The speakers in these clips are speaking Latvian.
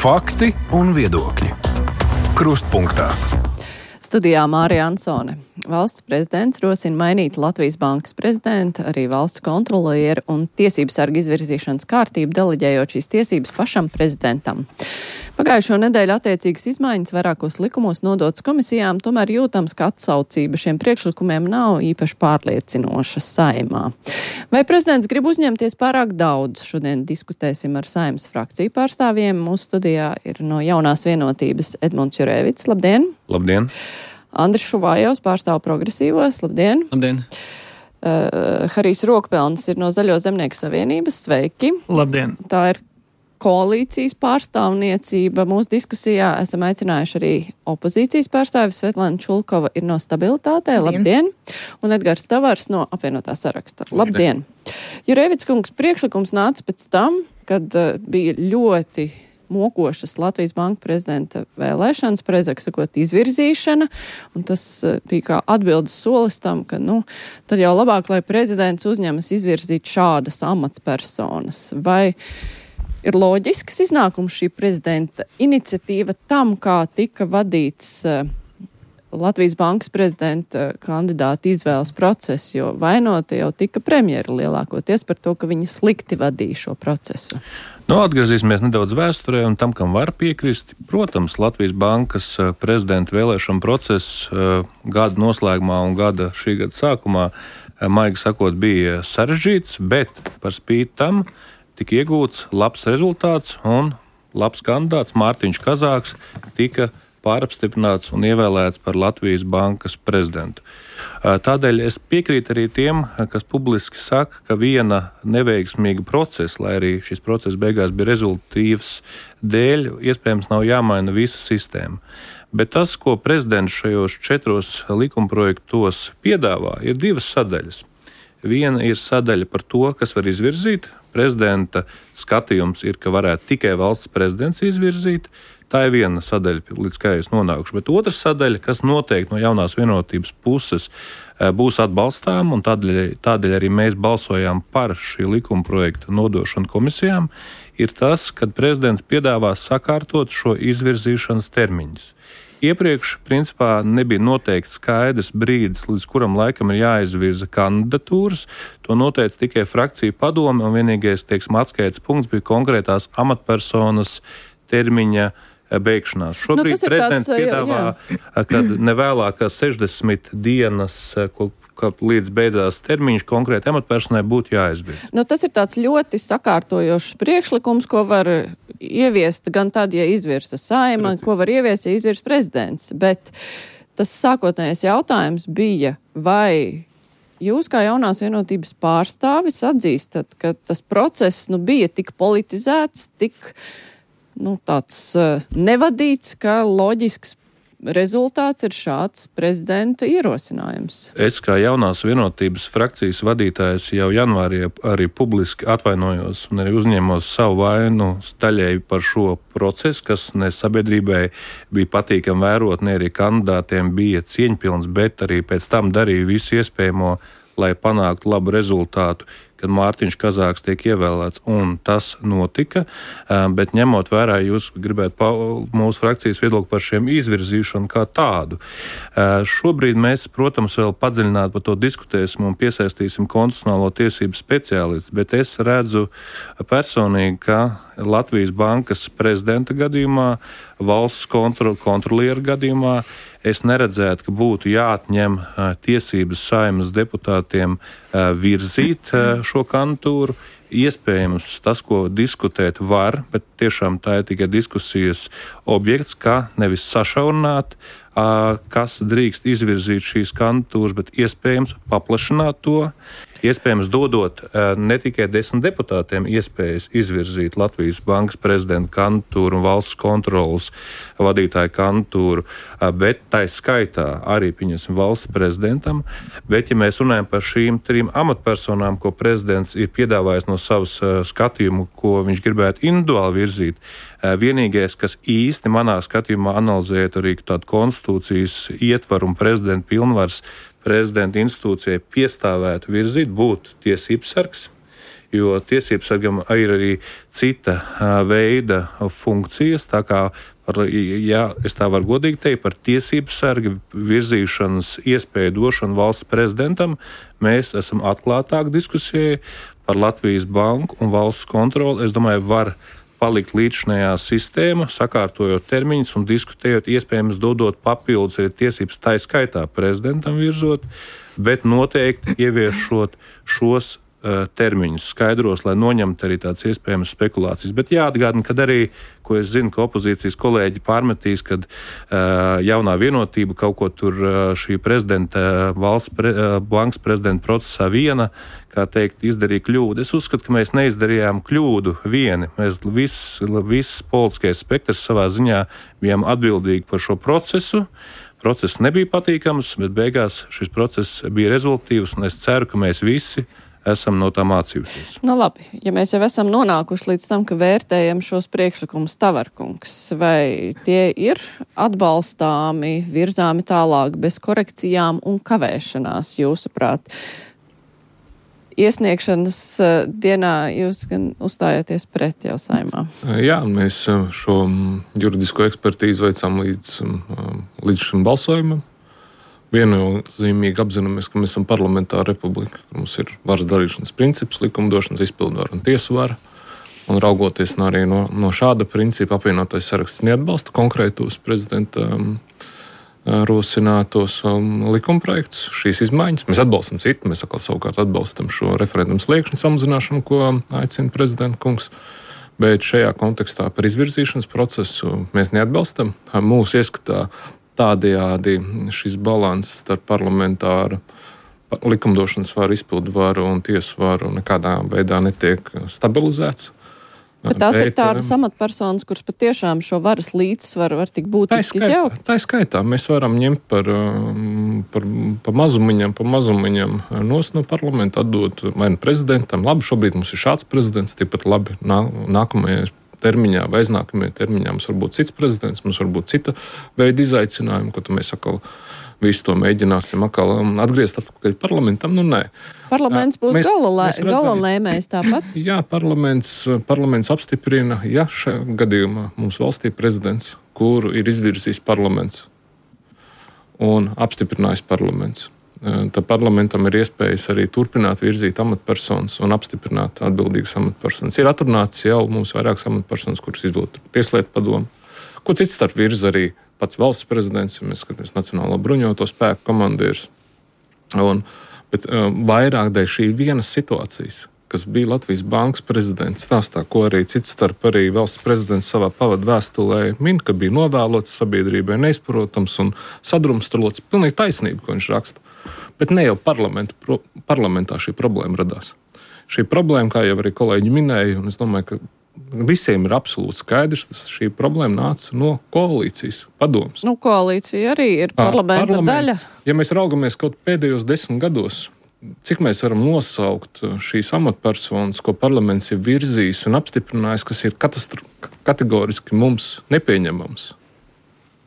Fakti un viedokļi. Krustpunktā. Studijā Mārija Ansone. Valsts prezidents rosina mainīt Latvijas Bankas prezidenta, arī valsts kontrolieru un tiesību sargu izvirzīšanas kārtību, deleģējot šīs tiesības pašam prezidentam. Pagājušo nedēļu attiecīgas izmaiņas vairākos likumos nodotas komisijām, tomēr jūtams, ka atsaucība šiem priekšlikumiem nav īpaši pārliecinoša Saeimā. Vai prezidents grib uzņemties pārāk daudz? Šodien diskutēsim ar Saeimas frakciju pārstāvjiem. Mūsu studijā ir no Jaunās vienotības Edmunds Jurēvits. Labdien! Labdien! Andris Šuvājovs pārstāv progresīvos. Labdien! Labdien! Harijs Rokpelnis ir no Zaļo zemnieku savienības. Sveiki! Labdien! Tā ir koalīcijas pārstāvniecība. Mūsu diskusijā esam aicinājuši arī opozīcijas pārstāvis. Svetlana Čulkova ir no Stabilitātē. Labdien! Un Edgars Tavars no Apvienotā saraksta. Labdien! Jurēvits kungs, priekšlikums nāca pēc tam, kad bija ļoti mokošas Latvijas Banka prezidenta vēlēšanas, precīzāk sakot, izvirzīšana, un tas bija kā atbildes solis tam, ka, tad jau labāk, lai prezidents uzņemas izvirzīt šādas amatpersonas. Vai ir loģisks iznākums šī prezidenta iniciatīva tam, kā tika vadīts Latvijas Bankas prezidenta kandidāta izvēles process, jo vainota jau tika premjera lielākoties par to, ka viņa slikti vadīja šo procesu? Atgriezīsimies nedaudz vēsturē un tam, kam var piekrist. Protams, Latvijas Bankas prezidenta vēlēšana process gada noslēgumā un šī gada sākumā, maigi sakot, bija sarežģīts, bet par spīti tam tika iegūts labs rezultāts un labs kandidāts Mārtiņš Kazāks tika pārapstiprināts un ievēlēts par Latvijas Bankas prezidentu. Tādēļ es piekrītu arī tiem, kas publiski saka, ka viena neveiksmīga procesa, lai arī šis process beigās bija rezultīvs dēļ, iespējams nav jāmaina visa sistēma. Bet tas, ko prezidents šajos 4 likumprojektos piedāvā, ir 2 sadaļas. Viena ir sadaļa par to, kas var izvirzīt. Prezidenta skatījums ir, ka varētu tikai valsts prezidents izvirzīt. Tā ir viena sadaļa, līdz kā es nonākušu. Bet otra sadaļa, kas noteikti no Jaunās vienotības puses būs atbalstām, un tādēļ arī mēs balsojām par šī likuma projekta nodošanu komisijām, ir tas, kad prezidents piedāvā sakārtot šo izvirzīšanas termiņus. Iepriekš, principā, nebija noteikts skaidrs brīdis, līdz kuram laikam ir jāizvirza kandidatūras. To noteica tikai frakcija padome, un vienīgais, atskaites punkts bija konkrētās amatpersonas termiņa beigšanās. Šobrīd prezidents piedāvā, ka nevēlāk kā 60 dienas, līdz beidzās termiņš konkrēti amatpersonai būtu jāizvirza. Tas ir tāds ļoti sakārtojošs priekšlikums, ko var ieviest gan tad, ja izvirza Saeima, ko var ieviest, ja izvirza prezidents. Bet tas sākotnējais jautājums bija, vai jūs kā Jaunās vienotības pārstāvis atzīstat, ka tas process bija tik politizēts, tik tāds nevadīts, ka loģisks rezultāts ir šāds prezidenta ierosinājums. Es kā Jaunās vienotības frakcijas vadītājs jau janvārī arī publiski atvainojos un arī uzņēmos savu vainu daļēji par šo procesu, kas ne sabiedrībai bija patīkami vērot, ne arī kandidātiem bija cieņpilns, bet arī pēc tam darīja visu iespējamo, lai panāktu labu rezultātu, kad Mārtiņš Kazāks tiek ievēlēts, un tas notika, bet ņemot vērā, jūs gribētu mūsu frakcijas viedokli par šiem izvirzīšanu kā tādu. Šobrīd mēs, protams, vēl padziļināt par to diskutēsim un piesaistīsim konstitucionālo tiesību speciālistu, bet es redzu personīgi, ka Latvijas Bankas prezidenta gadījumā, valsts kontrolieru gadījumā, es neredzētu, ka būtu jāatņem tiesības Saeimas deputātiem virzīt šo kandidatūru. Iespējams, tas, ko diskutēt var, bet tiešām tā ir tikai diskusijas objekts, kā nevis sašaurināt, kas drīkst izvirzīt šīs kandidatūras, bet iespējams paplašināt to. Iespējams, dodot ne tikai 10 deputātiem iespējas izvirzīt Latvijas Bankas prezidenta kandidatūru un valsts kontrolas vadītāju kandidatūru, bet tā skaitā arī, pieņemsim, valsts prezidentam. Bet, ja mēs runājam par šīm 3 amatpersonām, ko prezidents ir piedāvājis no savas skatījumu, ko viņš gribētu individuāli virzīt, vienīgais, kas īsti manā skatījumā analizējot arī tādu konstitūcijas ietvaru un prezidenta pilnvaras prezidenta institūcijai piestāvētu virzīt, būtu tiesības sargs. jo tiesībsargam ir arī cita veida funkcijas, tā kā, ja es tā varu godīgi teikt, par tiesībsarga virzīšanas iespēju došanu valsts prezidentam, mēs esam atklātāk diskusijai par Latvijas banku un valsts kontroli. Es domāju, var palikt līdzinājā sistēma, sakārtojot termiņus un diskutējot, iespējams dodot papildus arī tiesības tā skaitā prezidentam virzot, bet noteikti ieviešot šos termiņus skaidros, lai noņemtu arī tādas iespējamas spekulācijas. Bet jāatgādina, ka arī, ko es zinu, ka opozīcijas kolēģi pārmetīs, kad jaunā vienotība kaut ko tur šī prezidenta, bankas prezidenta procesā viena, kā teikt, izdarīja kļūdu. Es uzskatu, ka mēs neizdarījām kļūdu vieni. Mēs viss politiskais spektrs savā ziņā bijām atbildīgi par šo procesu. Process nebija patīkams, bet beigās šis process bija rezultīvs, un es ceru, ka mēs visi esam no tā mācījušies. Nu labi, ja mēs jau esam nonākuši līdz tam, ka vērtējam šos priekšlikumus, Tavarkungs, vai tie ir atbalstāmi, virzāmi tālāk bez korekcijām un kavēšanās, jūsuprāt? Iesniegšanas dienā jūs gan uzstājāties pret jau Saeimā. Jā, mēs šo juridisko ekspertīzi veicām līdz šim balsojumam. Viennozīmīgi apzināmies, ka mēs esam parlamentāra republika. Mums ir varas darīšanas princips, likumdošanas, izpildvara un tiesvara. Un raugoties arī no šāda principa, apvienotais saraksts neatbalsta konkrētos prezidenta rosinātos likumprojektus, šīs izmaiņas. Mēs atbalstam citu, mēs atkal savukārt atbalstam šo referendumu sliekšņu samazināšanu, ko aicina prezidenta kungs. Bet šajā kontekstā par izvirzīšanas procesu mēs neatbalstam. Mūsu ieskatā tādējādi šis balanss starp parlamentāru likumdošanas varu, izpildvaru un tiesu varu nekādā veidā netiek stabilizēts. Bet tās ir tādas amatpersonas, kuras patiešām šo varas līdzsvaru var tik būtiski izjaukt? Tā skaitā mēs varam ņemt par mazumiņam nos no parlamenta, atdot vai nu prezidentam. Labi, šobrīd mums ir šāds prezidents, tāpat labi nākamajai termiņā vai aiznākamajā termiņā mums var būt cits prezidents, mums var būt cita veida izaicinājumi, ko mēs atkal visu to mēģināsim atkal atgriezt atpakaļ parlamentam. Nu, nē. Parlaments būs gala lēmējs tāpat? Jā, parlaments apstiprina, ja šajā gadījumā mums valstī prezidents, kuru ir izvirzījis parlaments un apstiprinājis parlaments. Tad parlamentam ir iespējas arī turpināt virzīt amatpersonas un apstiprināt atbildīgas amatpersonas. Ir atrunāts jau mums vairākas amatpersonas, kuras izvilkt Tieslietu padomu, ko cits starp virza arī pats valsts prezidents, ja mēs skatāmies Nacionālo bruņoto spēku komandieris. Bet vairāk dēļ šī vienas situācijas, kas bija Latvijas bankas prezidents stāstā, ko arī cits starp arī valsts prezidents savā pavadu vēstulē min, ka bija novēlots sabiedrībai neizprotams un sadrumstalots. Pilnīgi taisnība, ko viņš raksta. Bet ne jau parlamentā šī problēma radās. Šī problēma, kā jau arī kolēģi minēja, un es domāju, ka visiem ir absolūti skaidrs, ka šī problēma nāca no koalīcijas padomes. Nu, koalīcija arī ir parlamenta daļa. Ja mēs raugamies kaut pēdējos 10 gados, cik mēs varam nosaukt šīs amatpersonas, ko parlaments ir virzījis un apstiprinājis, kas ir kategoriski mums nepieņemams?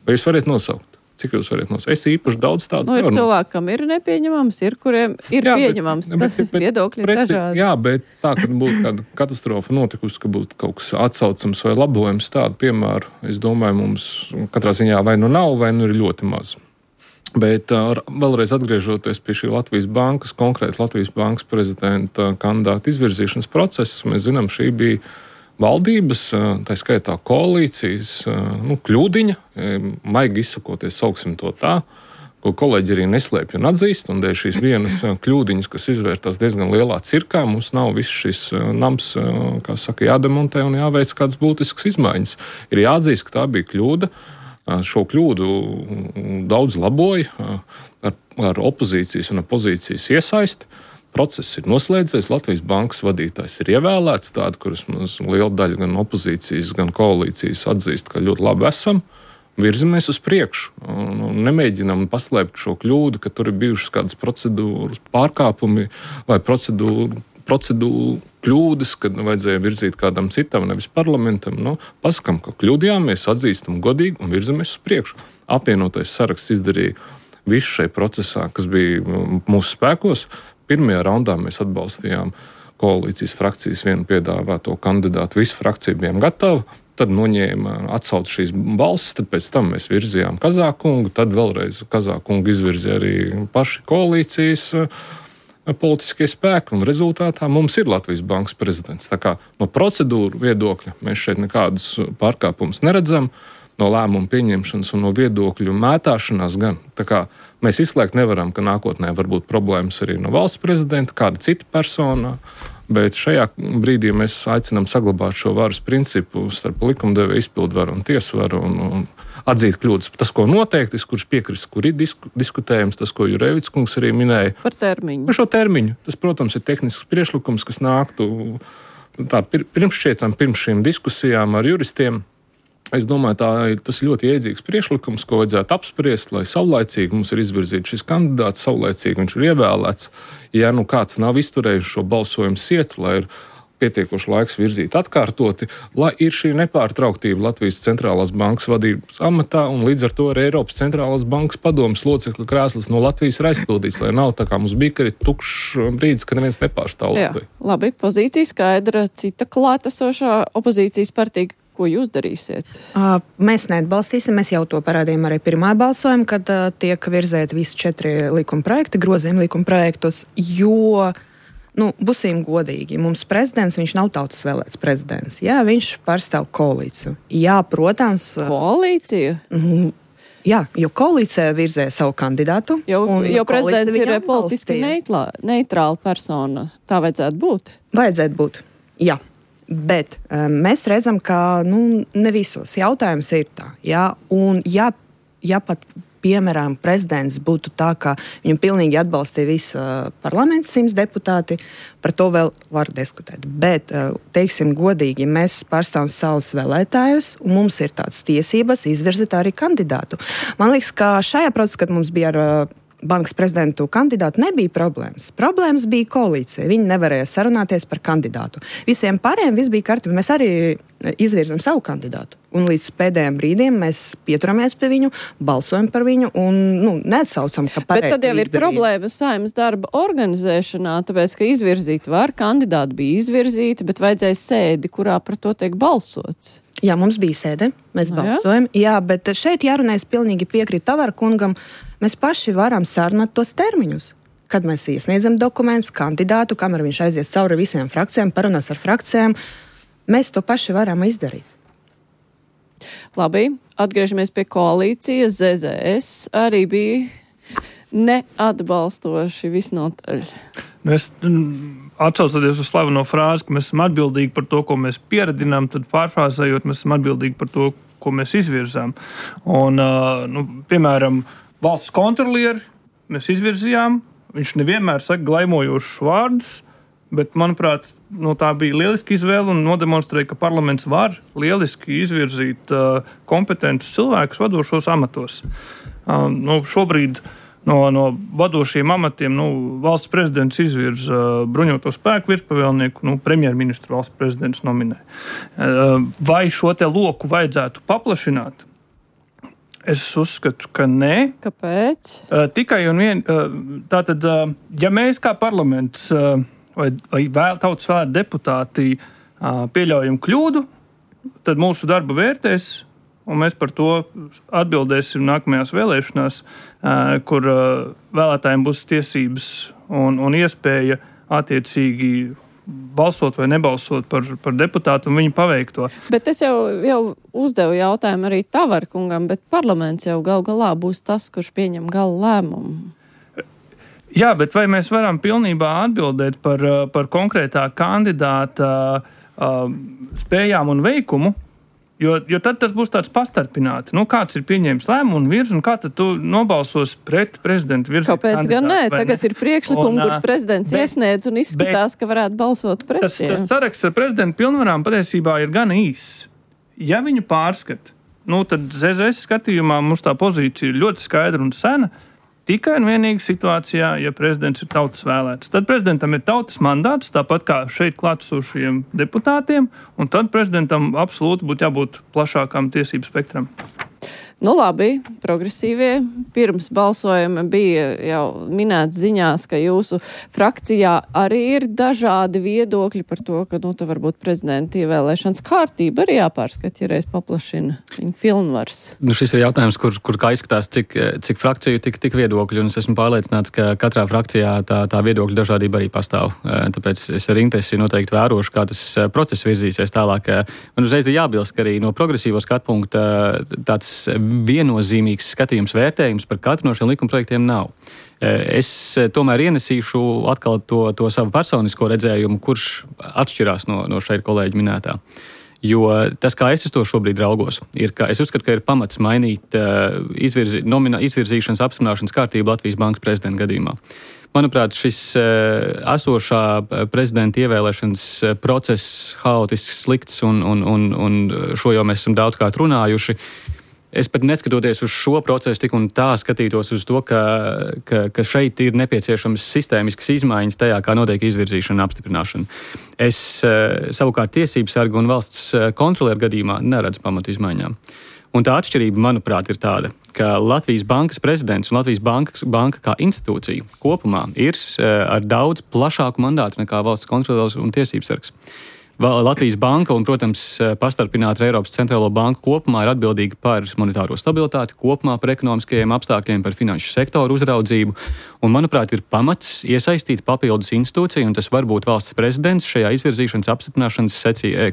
Vai jūs varat nosaukt? Cik jūs varat nosaukt? Es īpaši daudz tādu ir cilvēkam ir nepieņemams, ir kuriem ir pieņemams. Tas ir viedokļi dažādi. Jā, bet tā, kad būtu kāda katastrofa notikusi, ka būtu kaut kas atsaucams vai labojams, tādu piemēru, es domāju, mums katrā ziņā vai nu nav, vai nu ir ļoti maz. Bet vēlreiz atgriežoties pie šī Latvijas bankas, konkrēti Latvijas bankas prezidenta kandidāta izvirzīšanas procesa, mēs zinām, šī bija valdības, tā skaitā koalīcijas, kļūdiņa, maigi izsakoties, sauksim to tā, ko kolēģi arī neslēpj un atzīst, un dēļ šīs vienas kļūdiņas, kas izvērtās diezgan lielā cirkā, mums nav viss šis nams, kā saka, jādemontē un jāveic kādas būtiskas izmaiņas. Ir jāatzīst, ka tā bija kļūda. Šo kļūdu daudz laboja ar opozīcijas un pozīcijas iesaisti. Process ir noslēdzies, Latvijas bankas vadītājs ir ievēlēts, tādu, kurus liela daļa gan opozīcijas, gan koalīcijas atzīst, ka ļoti labi esam, virzamies uz priekšu. Nemēģinām paslēpt šo kļūdu, ka tur ir bijušas kādas procedūras pārkāpumi vai procedūru kļūdas, kad vajadzēja virzīt kādam citam, nevis parlamentam. Pasakām, ka kļūdījāmies, atzīstam godīgi un virzamies uz priekšu. Apvienotais saraksts izdarīja visu šai procesā, kas bija mūsu spēkos. Pirmajā raundā mēs atbalstījām koalīcijas frakcijas vienu piedāvāto kandidātu. Visu frakciju bijām gatavi. Tad noņēma atsauc šīs balsis, tad pēc tam mēs virzījām Kazākungu, tad vēlreiz Kazākungu izvirzīja arī paši koalīcijas politiskie spēki, un rezultātā mums ir Latvijas Bankas prezidents. Tā kā no procedūru viedokļa mēs šeit nekādus pārkāpumus neredzam, no lēmumu pieņemšanas un no viedokļu mētāšanās gan. Tā kā mēs izslēgt nevaram, ka nākotnē var būt problēmas arī no valsts prezidenta, kāda cita persona. Bet šajā brīdī mēs aicinām saglabāt šo varas principu starp likumdevēju, izpildvaru un tiesvaru un atzīt kļūdas. Tas, ko noteikti, kurš piekrist, kur ir diskutējams, tas, ko Jurēvits kungs arī minēja. Par termiņu. Par šo termiņu. Tas, protams, ir tehnisks priekšlikums, kas nāktu pirms šīm diskusijām ar juristiem. Es domāju, tas ir ļoti iedzīgs priekšlikums, ko vajadzētu apspriest, lai saulaicīgi mums ir izvirzīts šis kandidāts, saulaicīgi viņš ir ievēlēts. Ja kāds nav izturējis šo balsojumu sietu, lai ir pietiekoši laiks virzīt atkārtoti, lai ir šī nepārtrauktība Latvijas centrālās bankas vadības amatā un līdz ar to arī Eiropas centrālās bankas padomes locekļu krēsls no Latvijas ir aizpildīts, lai nav tā kā mums bija, ka ir tukšs brīdis, ka neviens nepārstāv Latviju. Labi, pozīcija skaidra, cita klātesošā opozīcijas partija. Ko jūs darīsiet? Mēs neatbalstīsim, mēs jau to parādījām arī pirmā balsojuma, kad tiek virzēti visi 4 likuma projekti, grozījumi likuma projektos, jo, būsim godīgi, mums prezidents, viņš nav tautas vēlēts prezidents, jā, viņš pārstāv koalīciju. Jā, protams. Koalīciju? Jā, jo koalīcija virzē savu kandidātu. Jo prezidents ir politiski neitrāla persona, tā vajadzētu būt? Vajadzētu būt, jā. Bet mēs redzam, ka ne visos jautājums ir tā. Ja? Un ja pat, piemēram, prezidents būtu tā, ka viņu pilnīgi atbalstīja visa parlaments 100 deputāti, par to vēl var diskutēt. Bet, teiksim godīgi, mēs pārstāvam savus vēlētājus, un mums ir tādas tiesības izvirzīt arī kandidātu. Man liekas, ka šajā procesā, kad mums bija ar bankas prezidentu kandidātu, nebija problēmas. Problēmas bija koalīcija. Viņi nevarēja sarunāties par kandidātu. Visiem pārējiem viss bija kārtībā. Mēs arī izvirzam savu kandidātu. Un līdz pēdējiem brīdiem mēs pieturamies pie viņu, balsojam par viņu un neatsaucam, ka pareizi. Bet tad jau ir problēma Saeimas darba organizēšanā, tāpēc, ka izvirzīt var, kandidāti bija izvirzīti, bet vajadzēja sēdi, kurā par to tiek balsots. Jā, mums bija sēde, mēs balsojam. Jā, bet šeit jārunā, es pilnīgi piekrītu Tavara kungam, mēs paši varam sarunāt tos termiņus. Kad mēs iesniedzam dokumentus, kandidātu, kamēr viņš aizies cauri visiem frakcijām, parunās ar frakcijām, mēs to paši varam izdarīt. Labi, atgriežamies pie koalīcijas. ZZS arī bija neatbalstoši visnotaļ. Es atsaucoties uz slaveno frāzi, ka mēs esam atbildīgi par to, ko mēs pieredzinām, tad pārfrāzējot, mēs esam atbildīgi par to, ko mēs izvirzām. Un, piemēram, valsts kontrolieri mēs izvirzījām, viņš nevienmēr saka glaimojošus vārdus, bet, manuprāt, tā bija lieliska izvēle un nodemonstrēja, ka parlaments var lieliski izvirzīt kompetentus cilvēkus vadošos amatos. Šobrīd no vadošiem amatiem valsts prezidents izvirza bruņoto spēku virspavēlnieku, premjerministru valsts prezidents nominē. Vai šo te loku vajadzētu paplašināt? Es uzskatu, ka nē. Kāpēc? Tikai un vien, tātad, ja mēs kā parlaments vai tautas vēlēti deputāti pieļaujam kļūdu, tad mūsu darbu vērtēs, un mēs par to atbildēsim nākamajās vēlēšanās, kur vēlētājiem būs tiesības un iespēja attiecīgi balsot vai nebalsot par deputātu un viņu paveikto. Bet es jau uzdevu jautājumu arī Tavara kungam, bet parlaments jau gal galā būs tas, kurš pieņem gala lēmumu. Jā, bet vai mēs varam pilnībā atbildēt par konkrētā kandidāta spējām un veikumu? Jo tad tas būs tāds pastarpināti. Kāds ir pieņēmis lēmumu un virz, un kā tad tu nobalsos pret prezidentu virzību kandidātu? Kāpēc gan nē? Tagad ir priekšlikumi, kurš prezidents iesniedz un izskatās, ka varētu balsot pret tiem. Tas saraksts ar prezidentu pilnvarām patiesībā ir gan īss. Ja viņu pārskat, tad ZZS skatījumā mums tā pozīcija ir ļoti skaidra un sena. Tikai un vienīgi situācijā, ja prezidents ir tautas vēlēts. Tad prezidentam ir tautas mandāts, tāpat kā šeit klātesošajiem deputātiem, un tad prezidentam absolūti būtu jābūt plašākam tiesību spektram. Nu labi, progresīvie pirms balsojuma bija jau minēts ziņās, ka jūsu frakcijā arī ir dažādi viedokļi par to, ka, nu, te varbūt prezidenta ievēlēšanas kārtība arī jāpārskat, ja reiz paplašina viņa pilnvars. Nu, šis ir jautājums, kur kā izskatās, cik frakciju, tik viedokļu, un es esmu pārliecināts, ka katrā frakcijā tā viedokļu dažādība arī pastāv. Tāpēc es ar interesi noteikti vērošu, kā tas process virzīsies tālāk. Man uzreiz ir jābilst, ka arī no progresīvo skatu punkta tāds viennozīmīgs skatījums, vērtējums par katru no šiem likumprojektiem nav. Es tomēr ienesīšu atkal to savu personisko redzējumu, kurš atšķirās no šeit kolēģi minētā. Jo tas, kā es to šobrīd raugos, ir, ka es uzskatu, ka ir pamats mainīt izvirzīšanas apstiprināšanas kārtību Latvijas Bankas prezidenta gadījumā. Manuprāt, šis esošā prezidenta ievēlēšanas process haotisks, slikts un šo jau mēs esam daudzkārt runājuši. Es pat neskatoties uz šo procesu tik un tā skatītos uz to, ka šeit ir nepieciešams sistēmiskas izmaiņas tajā, kā notiek izvirzīšana un apstiprināšana. Es savukārt tiesību sargu un valsts kontrolieru gadījumā neredzu pamatu izmaiņām. Un tā atšķirība, manuprāt, ir tāda, ka Latvijas Bankas prezidents un Latvijas banka kā institūcija kopumā ir ar daudz plašāku mandātu nekā valsts kontrolieris un tiesību sargs. Latvijas banka un, protams, pastarpināta Eiropas centrālo banku kopumā ir atbildīga par monetāro stabilitāti, kopumā par ekonomiskajiem apstākļiem, par finanšu sektoru uzraudzību. Un, manuprāt, ir pamats iesaistīt papildus institūciju, un tas var būt valsts prezidents šajā izvirzīšanas apstiprināšanas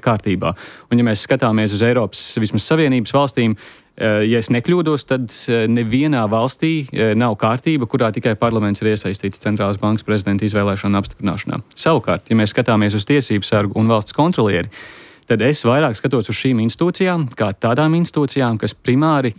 kārtībā. Un, ja mēs skatāmies uz Eiropas vismaz Savienības valstīm, ja es nekļūdos, tad nevienā valstī nav kārtība, kurā tikai parlaments ir iesaistīts centrālās bankas prezidenta izvēlēšanā un apstiprināšanā. Savukārt, ja mēs skatāmies uz tiesību sargu un valsts kontrolieri, tad es vairāk skatos uz šīm institūcijām kā tādām institūcijām, kas primāri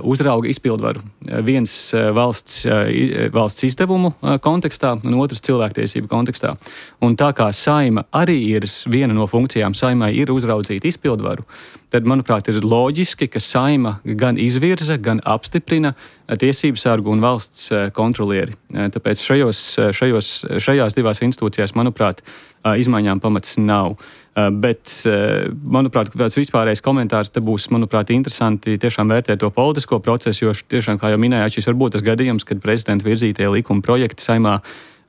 uzrauga izpildvaru. Viens valsts izdevumu kontekstā un otrs cilvēktiesību kontekstā. Un tā kā Saeima arī ir viena no funkcijām, Saeimai ir uzraudzīt izpildvaru, tad, manuprāt, ir loģiski, ka Saeima gan izvirza, gan apstiprina tiesību sargu un valsts kontrolieri. Tāpēc šajās divās institūcijās, manuprāt, izmaiņām pamats nav. Bet, manuprāt, tāds vispārējais komentārs te būs, manuprāt, interesanti tiešām vērtēt to politisko procesu, jo tiešām, kā jau minējāt, šis var būt tas gadījums, kad prezidenta virzītie likuma projekti Saeimā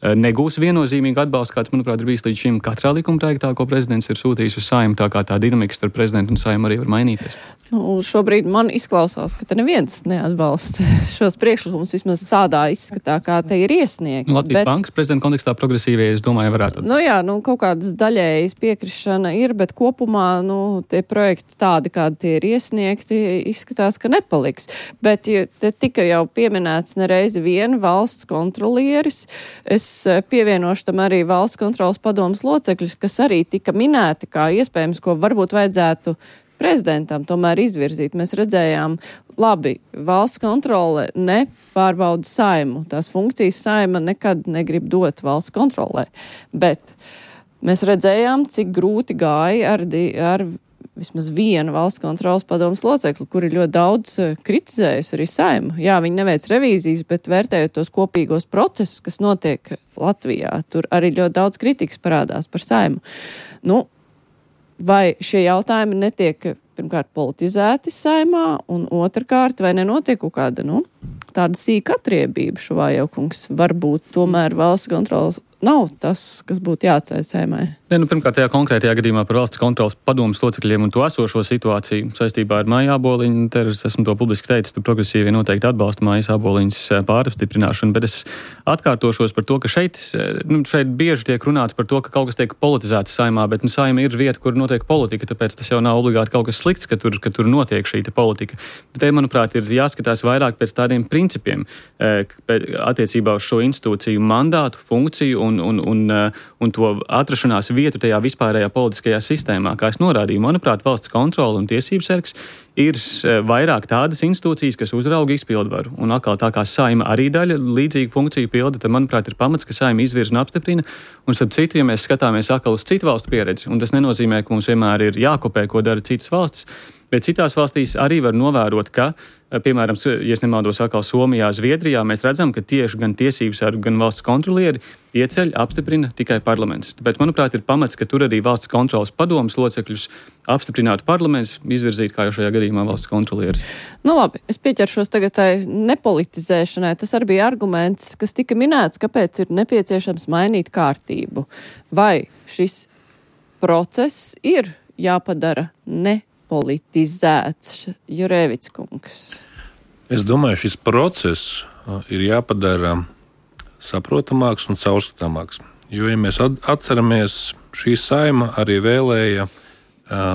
negūs viennozīmīgu atbalstu, kāds, manuprāt, ir bijis līdz šim katrā likuma projektā, ko prezidents ir sūtījis uz Saeimu, tā kā tā dinamika starp prezidentu un Saeimu arī var mainīties. Nu, šobrīd man izklausās, ka te neviens neatbalsta šos priekšlikumus, vismaz tādā izskatā, kā te ir iesniegti. Latvijas Bankas prezidenta kontekstā progresīvie, es domāju, varētu. Nu jā, kaut kādas daļējas piekrišana ir, bet kopumā, tie projekti tādi, kādi tie ir iesniegti, izskatās, ka nepaliks. Bet ja te tika jau pieminēts nereizi vien valsts kontrolieris, es pievienošu tam arī valsts kontrolas padomas locekļus, kas arī tika minēti kā iespējams, ko varbūt vajadzētu prezidentam tomēr izvirzīt. Mēs redzējām, labi, valsts kontrole nepārbauda Saeimu. Tās funkcijas Saeima nekad negrib dot valsts kontrolē. Bet mēs redzējām, cik grūti gāja ar vismaz vienu valsts kontrolas padomas locekli, kuri ļoti daudz kritizējusi arī Saeimu. Jā, viņi neveic revīzijas, bet vērtējot tos kopīgos procesus, kas notiek Latvijā, tur arī ļoti daudz kritikas parādās par Saeimu. Vai šie jautājumi netiek, pirmkārt, politizēti Saeimā, un otrkārt, vai nenotiek kaut kāda, tāda sīka atriebība šo vājaukungs? Varbūt tomēr valsts kontrolas nav tas, kas būtu jāatceļ Saeimai. Pirmkārt, tajā konkrētajā gadījumā par valsts kontrolas padomas locekļiem un to esošo situāciju saistībā ar Maiju Āboliņu, es esmu to publiski teicis, tad progresīvi noteikti atbalsta Maijas Āboliņas pārapstiprināšanu, bet es atkārtošos par to, ka šeit bieži tiek runāts par to, ka kaut kas tiek politizēts Saeimā, bet Saeima ir vieta, kur notiek politika, tāpēc tas jau nav obligāti kaut kas slikts, ka tur notiek šī politika. Bet te, manuprāt, ir jāskatās vairāk pēc tādiem principiem attiecībā uz šo institūciju mandātu, funkciju un to atrašanās vietu tajā vispārējā politiskajā sistēmā. Kā es norādīju, manuprāt, valsts kontrole un tiesības sargs ir vairāk tādas institūcijas, kas uzrauga izpildvaru. Un atkal tā kā Saeima arī daļa līdzīgu funkciju pilda, tad, manuprāt, ir pamats, ka Saeima izvirza un apstiprina. Un starp citu, ja mēs skatāmies atkal uz citu valstu pieredzi, un tas nenozīmē, ka mums vienmēr ir jākopē, ko dara citas valstis, Bet citās valstīs arī var novērot, ka, piemēram, ja es nemaldos atkal Somijā, Zviedrijā, mēs redzam, ka tieši gan tiesības sargi, gan valsts kontrolieri ieceļ, apstiprina tikai parlaments. Tāpēc, manuprāt, ir pamats, ka tur arī valsts kontrolas padomas locekļus apstiprinātu parlaments, izvirzīt, kā jau šajā gadījumā, valsts kontrolieri. Nu labi, es pieķeršos tagad tai nepolitizēšanai. Tas arī bija arguments, kas tika minēts, kāpēc ir nepieciešams mainīt kārtību. Vai šis process ir jāpadara nepolitizēts? Jurēvics kungs. Es domāju, šis process ir jāpadara saprotamāks un caurskatāmāks. Jo, ja mēs atceramies, šī Saeima arī vēlēja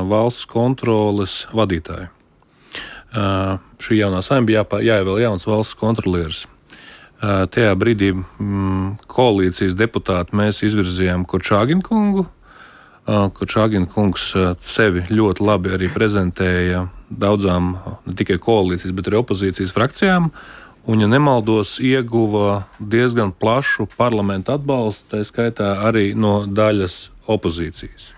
valsts kontroles vadītāju. Šī jaunā Saeima bija jāievēl jauns valsts kontrolieris. Tajā brīdī koalīcijas deputāti mēs izvirzījām Korčāgina kungu. Korčāgina kungs sevi ļoti labi arī prezentēja daudzām ne tikai koalīcijas, bet arī opozīcijas frakcijām. Un, ja nemaldos, ieguva diezgan plašu parlamentu atbalstu, tā skaitā arī no daļas opozīcijas.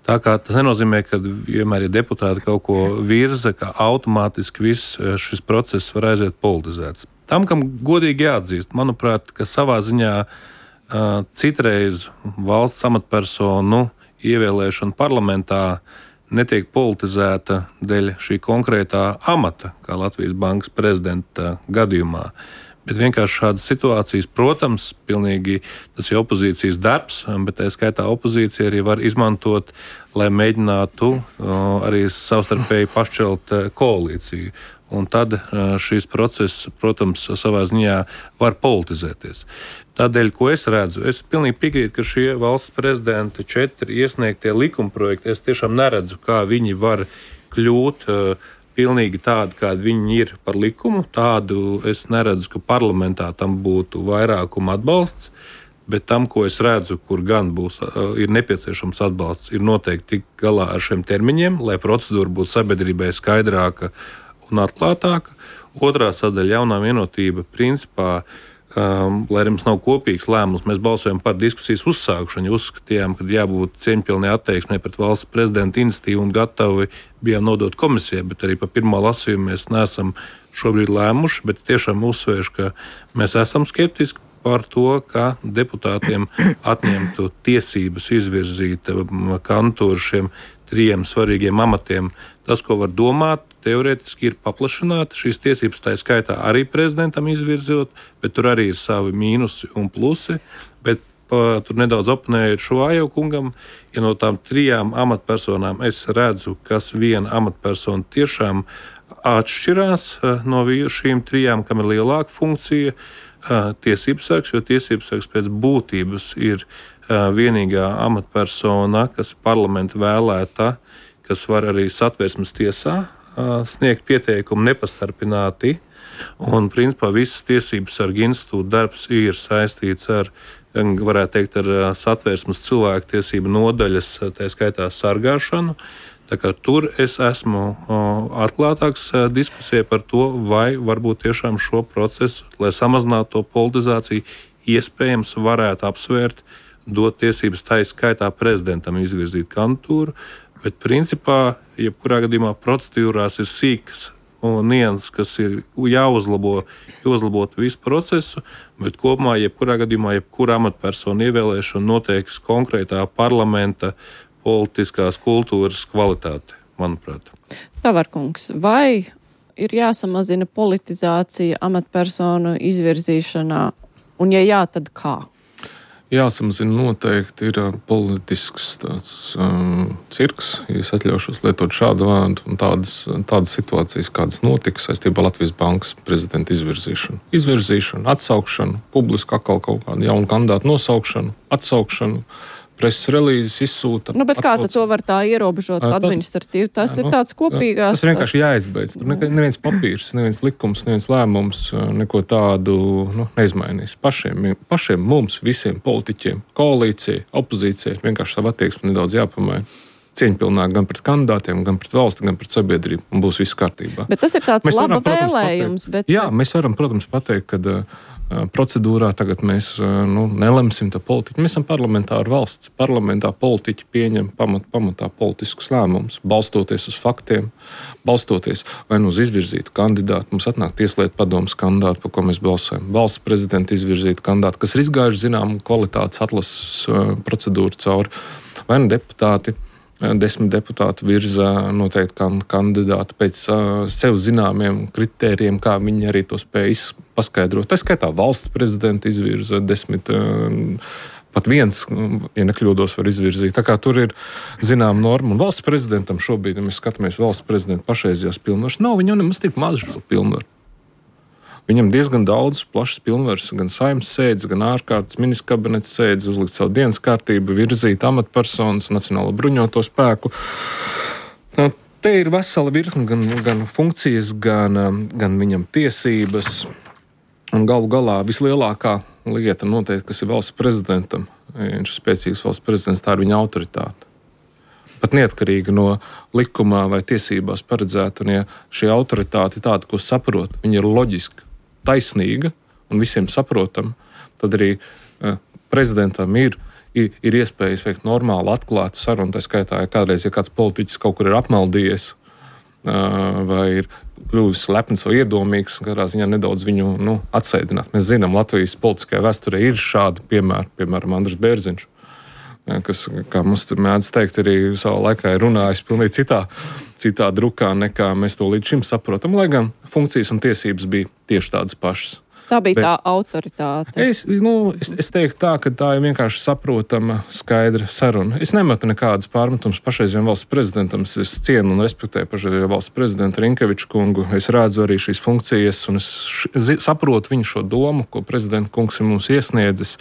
Tā kā tas nenozīmē, ka vienmēr, ja deputāti kaut ko virza, ka automātiski viss šis process var aiziet politizēts. Tam, kam godīgi jāatzīst, manuprāt, ka savā ziņā citreiz valsts amatpersonu ievēlēšana parlamentā netiek politizēta dēļ šī konkrētā amata, kā Latvijas Bankas prezidenta gadījumā. Bet vienkārši šādas situācijas, protams, pilnīgi tas ir opozīcijas darbs, bet tā skaitā opozīcija arī var izmantot, lai mēģinātu arī savstarpēji pašķelt koalīciju. Un tad šīs process, protams, savā ziņā var politizēties. Tādēļ, ko es redzu, es pilnīgi piekrītu, ka šie valsts prezidenta 4 iesniegtie likumprojekti, es tiešām neredzu, kā viņi var kļūt pilnīgi tādi, kādi viņi ir par likumu. Tādu es neredzu, ka parlamentā tam būtu vairākuma atbalsts, bet tam, ko es redzu, kur gan ir nepieciešams atbalsts, ir noteikti tik galā ar šiem termiņiem, lai procedūra būtu sabiedrībai skaidrāka un atklātāka. Otrā sadaļa jaunā vienotība principā, lai arī mums nav kopīgs lēmums, mēs balsojam par diskusijas uzsākšanu, uzskatījām, ka jābūt cieņpilnai attieksmei pret valsts prezidenta iniciatīvu un gatavi bijām nodot komisijai, bet arī pa pirmā lasījuma mēs neesam šobrīd lēmuši, bet tiešām uzsvēršu, ka mēs esam skeptiski par to, ka deputātiem atņemtu tiesības izvirzīt kandidātus šiem 3 svarīgiem amatiem. Tas, ko var domāt, teorētiski ir paplašināt šīs tiesības, tā skaitā arī prezidentam izvirzot, bet tur arī ir savi mīnusi un plusi. Bet tur nedaudz oponējot Šuvājevu kungam, ja no tām 3 amatpersonām es redzu, kas viena amatpersona tiešām atšķirās no šīm 3, kam ir lielāka funkcija, tiesības sargs, jo tiesības sargs pēc būtības ir vienīgā amatpersona, kas parlamenta vēlēta, kas var arī Satversmes tiesā sniegt pieteikumu nepastarpināti. Un, principā, visas tiesības sarga institūta darbs ir saistīts ar, varētu teikt, ar Satversmes cilvēktiesību nodaļas, tā skaitā sargāšanu. Tā kā tur es esmu atklātāks diskusijai par to, vai varbūt tiešām šo procesu, lai samazinātu to politizāciju, iespējams varētu apsvērt, dot tiesības tā skaitā prezidentam izvirzīt kandidatūru, bet principā, jebkurā gadījumā procedūrās ir sīkas un nianses, kas ir jāuzlabot visu procesu, bet kopumā, jebkurā gadījumā, jebkura amatpersona ievēlēšana noteiks konkrētā parlamenta politiskās kultūras kvalitāte, manuprāt. Tavarkungs, vai ir jāsamazina politizācija amatpersonu izvirzīšanā, un ja jā, tad kā? Jāsamazina noteikti ir politisks tāds cirks, ja es atļaušos lietot šādu vārdu, un tādas situācijas, kādas notika saistībā ar Latvijas Bankas prezidenta izvirzīšanu. Izvirzīšanu, atsaukšanu, publisku atkal kaut kādu jaunu kandidātu nosaukšanu, atsaukšanu, preses relīzes izsūta. Bet kā to var tā ierobežot administratīvi? Tas ir tāds kopīgās... Tas vienkārši jāizbeidz. Tur neviens papīrs, neviens likums, neviens lēmums neko tādu neizmainīs. Pašiem mums, visiem politiķiem, koalīcijai, opozīcijai, vienkārši savu attieksmi nedaudz jāpamaina. Cieņpilnāk gan pret kandidātiem, gan pret valsti, gan pret sabiedrību, un būs viss kārtībā. Bet tas ir tāds laba vēlējums. Jā, mēs varam, protams, pateikt, ka procedūrā. Tagad mēs nelemsim to politiķi. Mēs esam parlamentāra valsts. Parlamentā politiķi pieņem pamatā politiskus lēmumus, balstoties uz faktiem, balstoties vai uz izvirzītu kandidātu. Mums atnāk tieslietu padomes kandidāti, par ko mēs balsojam. Valsts prezidenta izvirzītu kandidāti, kas ir izgājuši zināmu kvalitātes atlases procedūru cauri, vai deputāti. 10 deputāti virza noteikti kandidāti pēc sev zināmiem kritērijiem, kā viņi arī to spēj paskaidrot. Tā skaitā valsts prezidenta izvirza 10, pat viens, ja nekļūdos, var izvirzīt. Tā kā tur ir zināma norma. Un valsts prezidentam šobrīd, ja mēs skatāmies valsts prezidenta pašreizējās pilnvaras, nav viņam nemaz tik maz šo pilnvaru. Viņam diezgan daudz plašas pilnvaras, gan saimnes sēdes, gan ārkārtas ministra kabineta sēdes, uzlikt savu dienas kārtību, virzīt amatpersonas, Nacionālo bruņoto spēku. Te ir vesela virkne gan funkcijas, gan viņam tiesības. Un galu galā vislielākā lieta noteikti, kas ir valsts prezidentam, viņš ir spēcīgs valsts prezidents, tā ir viņa autoritāte. Pat neatkarīgi no likumā vai tiesībās paredzēta, un ja šī autoritāte tāda, ko saprot, viņa ir loģiska, taisnīga un visiem saprotama, tad arī prezidentam ir iespējas veikt normālu, atklātu sarunu. Tā skaitā, ja kādreiz, ja kāds politiķis kaut kur ir apmaldījies vai ir kļuvis lepns vai iedomīgs, kādā ziņā nedaudz viņu atsēdināt. Mēs zinām, Latvijas politiskajā vēsturē ir šādi piemēri, piemēram, Andris Bērziņš, kas, kā mums mēdz teikt, arī savā laikā ir runājis pilnīgi citā drukā, nekā mēs to līdz šim saprotam, lai gan funkcijas un tiesības bija tieši tādas pašas. Tā bija tā autoritāte. Es teiktu tā, ka tā ir vienkārši saprotama, skaidra saruna. Es nemetu nekādas pārmetumus pašreizējiem valsts prezidentam. Es cienu un respektēju pašreizējo valsts prezidentu Rinkeviču kungu. Es redzu arī šīs funkcijas un es saprotu viņu šo domu, ko prezidenta kungs ir mums iesniedzis.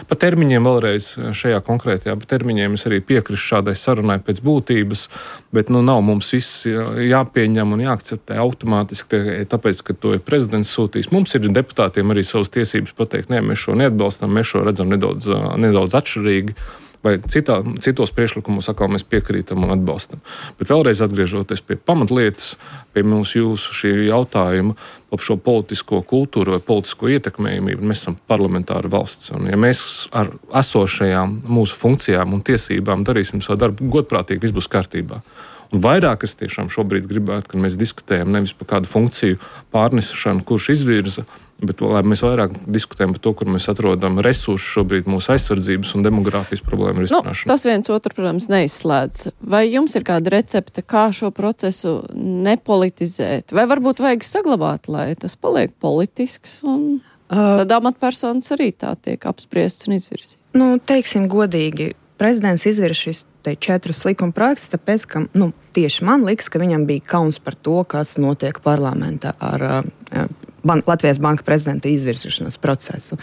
Pa termiņiem vēlreiz šajā konkrētajā termiņiem es arī piekrišu šādai sarunai pēc būtības, bet nav mums viss jāpieņem un jāakceptē automātiski, tāpēc, ka to ir prezidents sūtījis. Mums ir deputātiem arī savas tiesības pateikt, nē, mēs šo neatbalstam, mēs šo redzam nedaudz atšķirīgi, vai citos priekšlikumos atkal mēs piekrītam un atbalstam. Bet vēlreiz atgriežoties pie pamatlietas, pie jūsu šī jautājuma par šo politisko kultūru vai politisko ietekmējumību, mēs esam parlamentāra valsts. Un ja mēs ar esošajām mūsu funkcijām un tiesībām darīsim savu darbu godprātīgi, viss būs kārtībā. Un vairāk es tiešām šobrīd gribētu, kad mēs diskutējam nevis par kādu funkciju pārnesešanu, kurš izvirza, bet lai mēs vairāk diskutējam par to, kur mēs atrodam resursus šobrīd mūsu aizsardzības un demogrāfijas problēmu risināšanai. Tas viens otru, protams, neizslēdz. Vai jums ir kāda recepte, kā šo procesu nepolitizēt? Vai varbūt vajag saglabāt, lai tas paliek politisks un tad amatpersonas arī tā tiek apspriests un izvirzīts? Teiksim godīgi, prezidents izvirza šis 4 likuma projektus, tāpēc, ka tieši man liekas, ka viņam bija kauns par to, kas notiek parlamentā ar Latvijas Banka prezidenta izvirzīšanas procesu.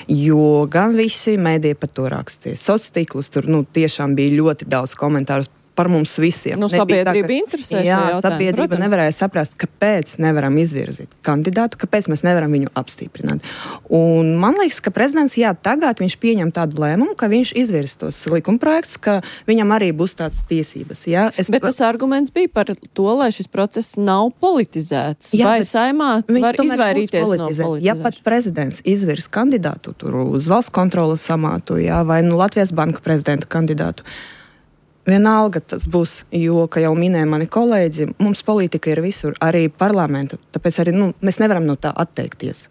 Jo gan visi mēdīji par to rakstīja. Sociālos tīklus tur tiešām bija ļoti daudz komentārus par mums visiem. Sabiedrība interesēs. Jā, sabiedrība protams. Nevarēja saprast, kāpēc nevaram izvirzīt kandidātu, kāpēc mēs nevaram viņu apstiprināt. Un man liekas, ka prezidents, tagad viņš pieņem tādu lēmumu, ka viņš izvirz tos likumprojektus, ka viņam arī būs tādas tiesības. Bet tas arguments bija par to, lai šis process nav politizēts. Vai saimā var izvairīties no politizēšanas? Ja pat prezidents izvirz kandidātu tur uz valsts kontrolas amātu, vai Latvijas Banka prezidenta kandidātu, vienalga tas būs, jo, kā jau minēja mani kolēģi, mums politika ir visur, arī parlamenta, tāpēc arī mēs nevaram no tā atteikties.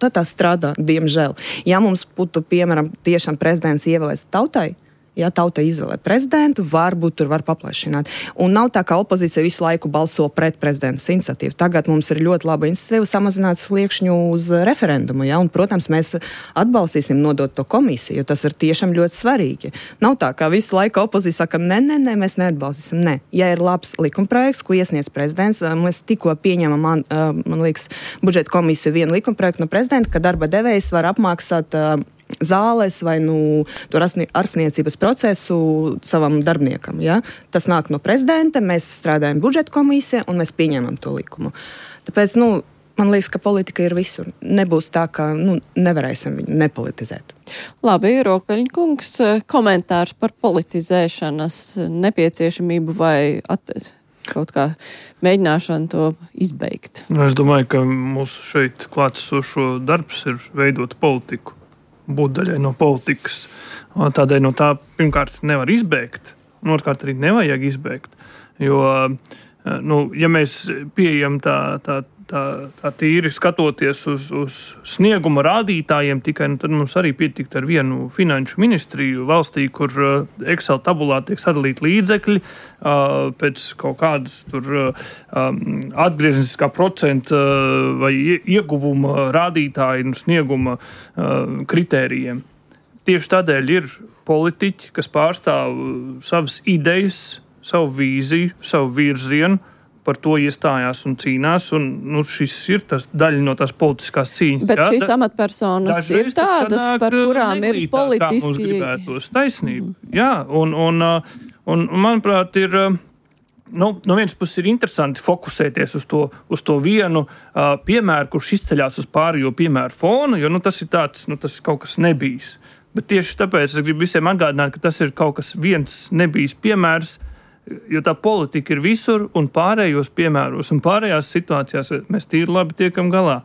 Tā strādā, diemžēl. Ja mums būtu, piemēram, tiešām prezidents ievēlēts tautai, ja tauta izvēlē prezidentu, varbūt tur var paplašināt. Un nav tā, ka opozīcija visu laiku balso pret prezidentas iniciatīvu. Tagad mums ir ļoti laba iniciatīva samazināt sliekšņu uz referendumu. Un, protams, mēs atbalstīsim nodot to komisiju, jo tas ir tiešām ļoti svarīgi. Nav tā, ka visu laiku opozīcija saka, nē, mēs neatbalstīsim. Nē. Ja ir labs likumprojekts, ko iesniedz prezidents, mēs tikko pieņemam, man liekas, budžeta komisija vienu likumprojektu no prezidenta, ka darba devējs var apmaksāt zāles vai ārstniecības procesu savam darbiniekam. Tas nāk no prezidenta, mēs strādājam budžeta komisijā un mēs pieņemam to likumu. Tāpēc, man liekas, ka politika ir visur. Nebūs tā, ka nevarēsim viņu nepolitizēt. Labi, Rokveļņkungs, komentārs par politizēšanas nepieciešamību vai kaut kā mēģināšana to izbeigt. Es domāju, ka mūsu šeit klātesošo darbs ir veidot politiku, būt daļai no politikas. Tādēļ no tā pirmkārt nevar izbēgt, un otrkārt arī nevajag izbēgt. Jo, ja mēs pieejam tā tīri skatoties uz snieguma rādītājiem tikai, tad mums arī pietikt ar vienu finanšu ministriju valstī, kur Excel tabulā tiek sadalīti līdzekļi pēc kaut kādas tur atgriezniskā procenta vai ieguvuma rādītāju un snieguma kritērijiem. Tieši tādēļ ir politiķi, kas pārstāv savas idejas, savu vīziju, savu virzienu, par to iestājās un cīnās, un šis ir tas daļa no tās politiskās cīņas. Bet šīs amatpersonas ir tādas, par kurām ir politiski... Kā mums gribētos taisnība. Jā, un manuprāt, ir... No vienas puses ir interesanti fokusēties uz to vienu piemēru, kurš izceļās uz pārējo piemēru fonu, jo tas ir tāds, tas ir kaut kas nebijis. Bet tieši tāpēc es gribu visiem atgādināt, ka tas ir kaut kas viens nebijis piemērs, jo tā politika ir visur un pārējos piemēros un pārējās situācijās mēs tīri labi tiekam galā.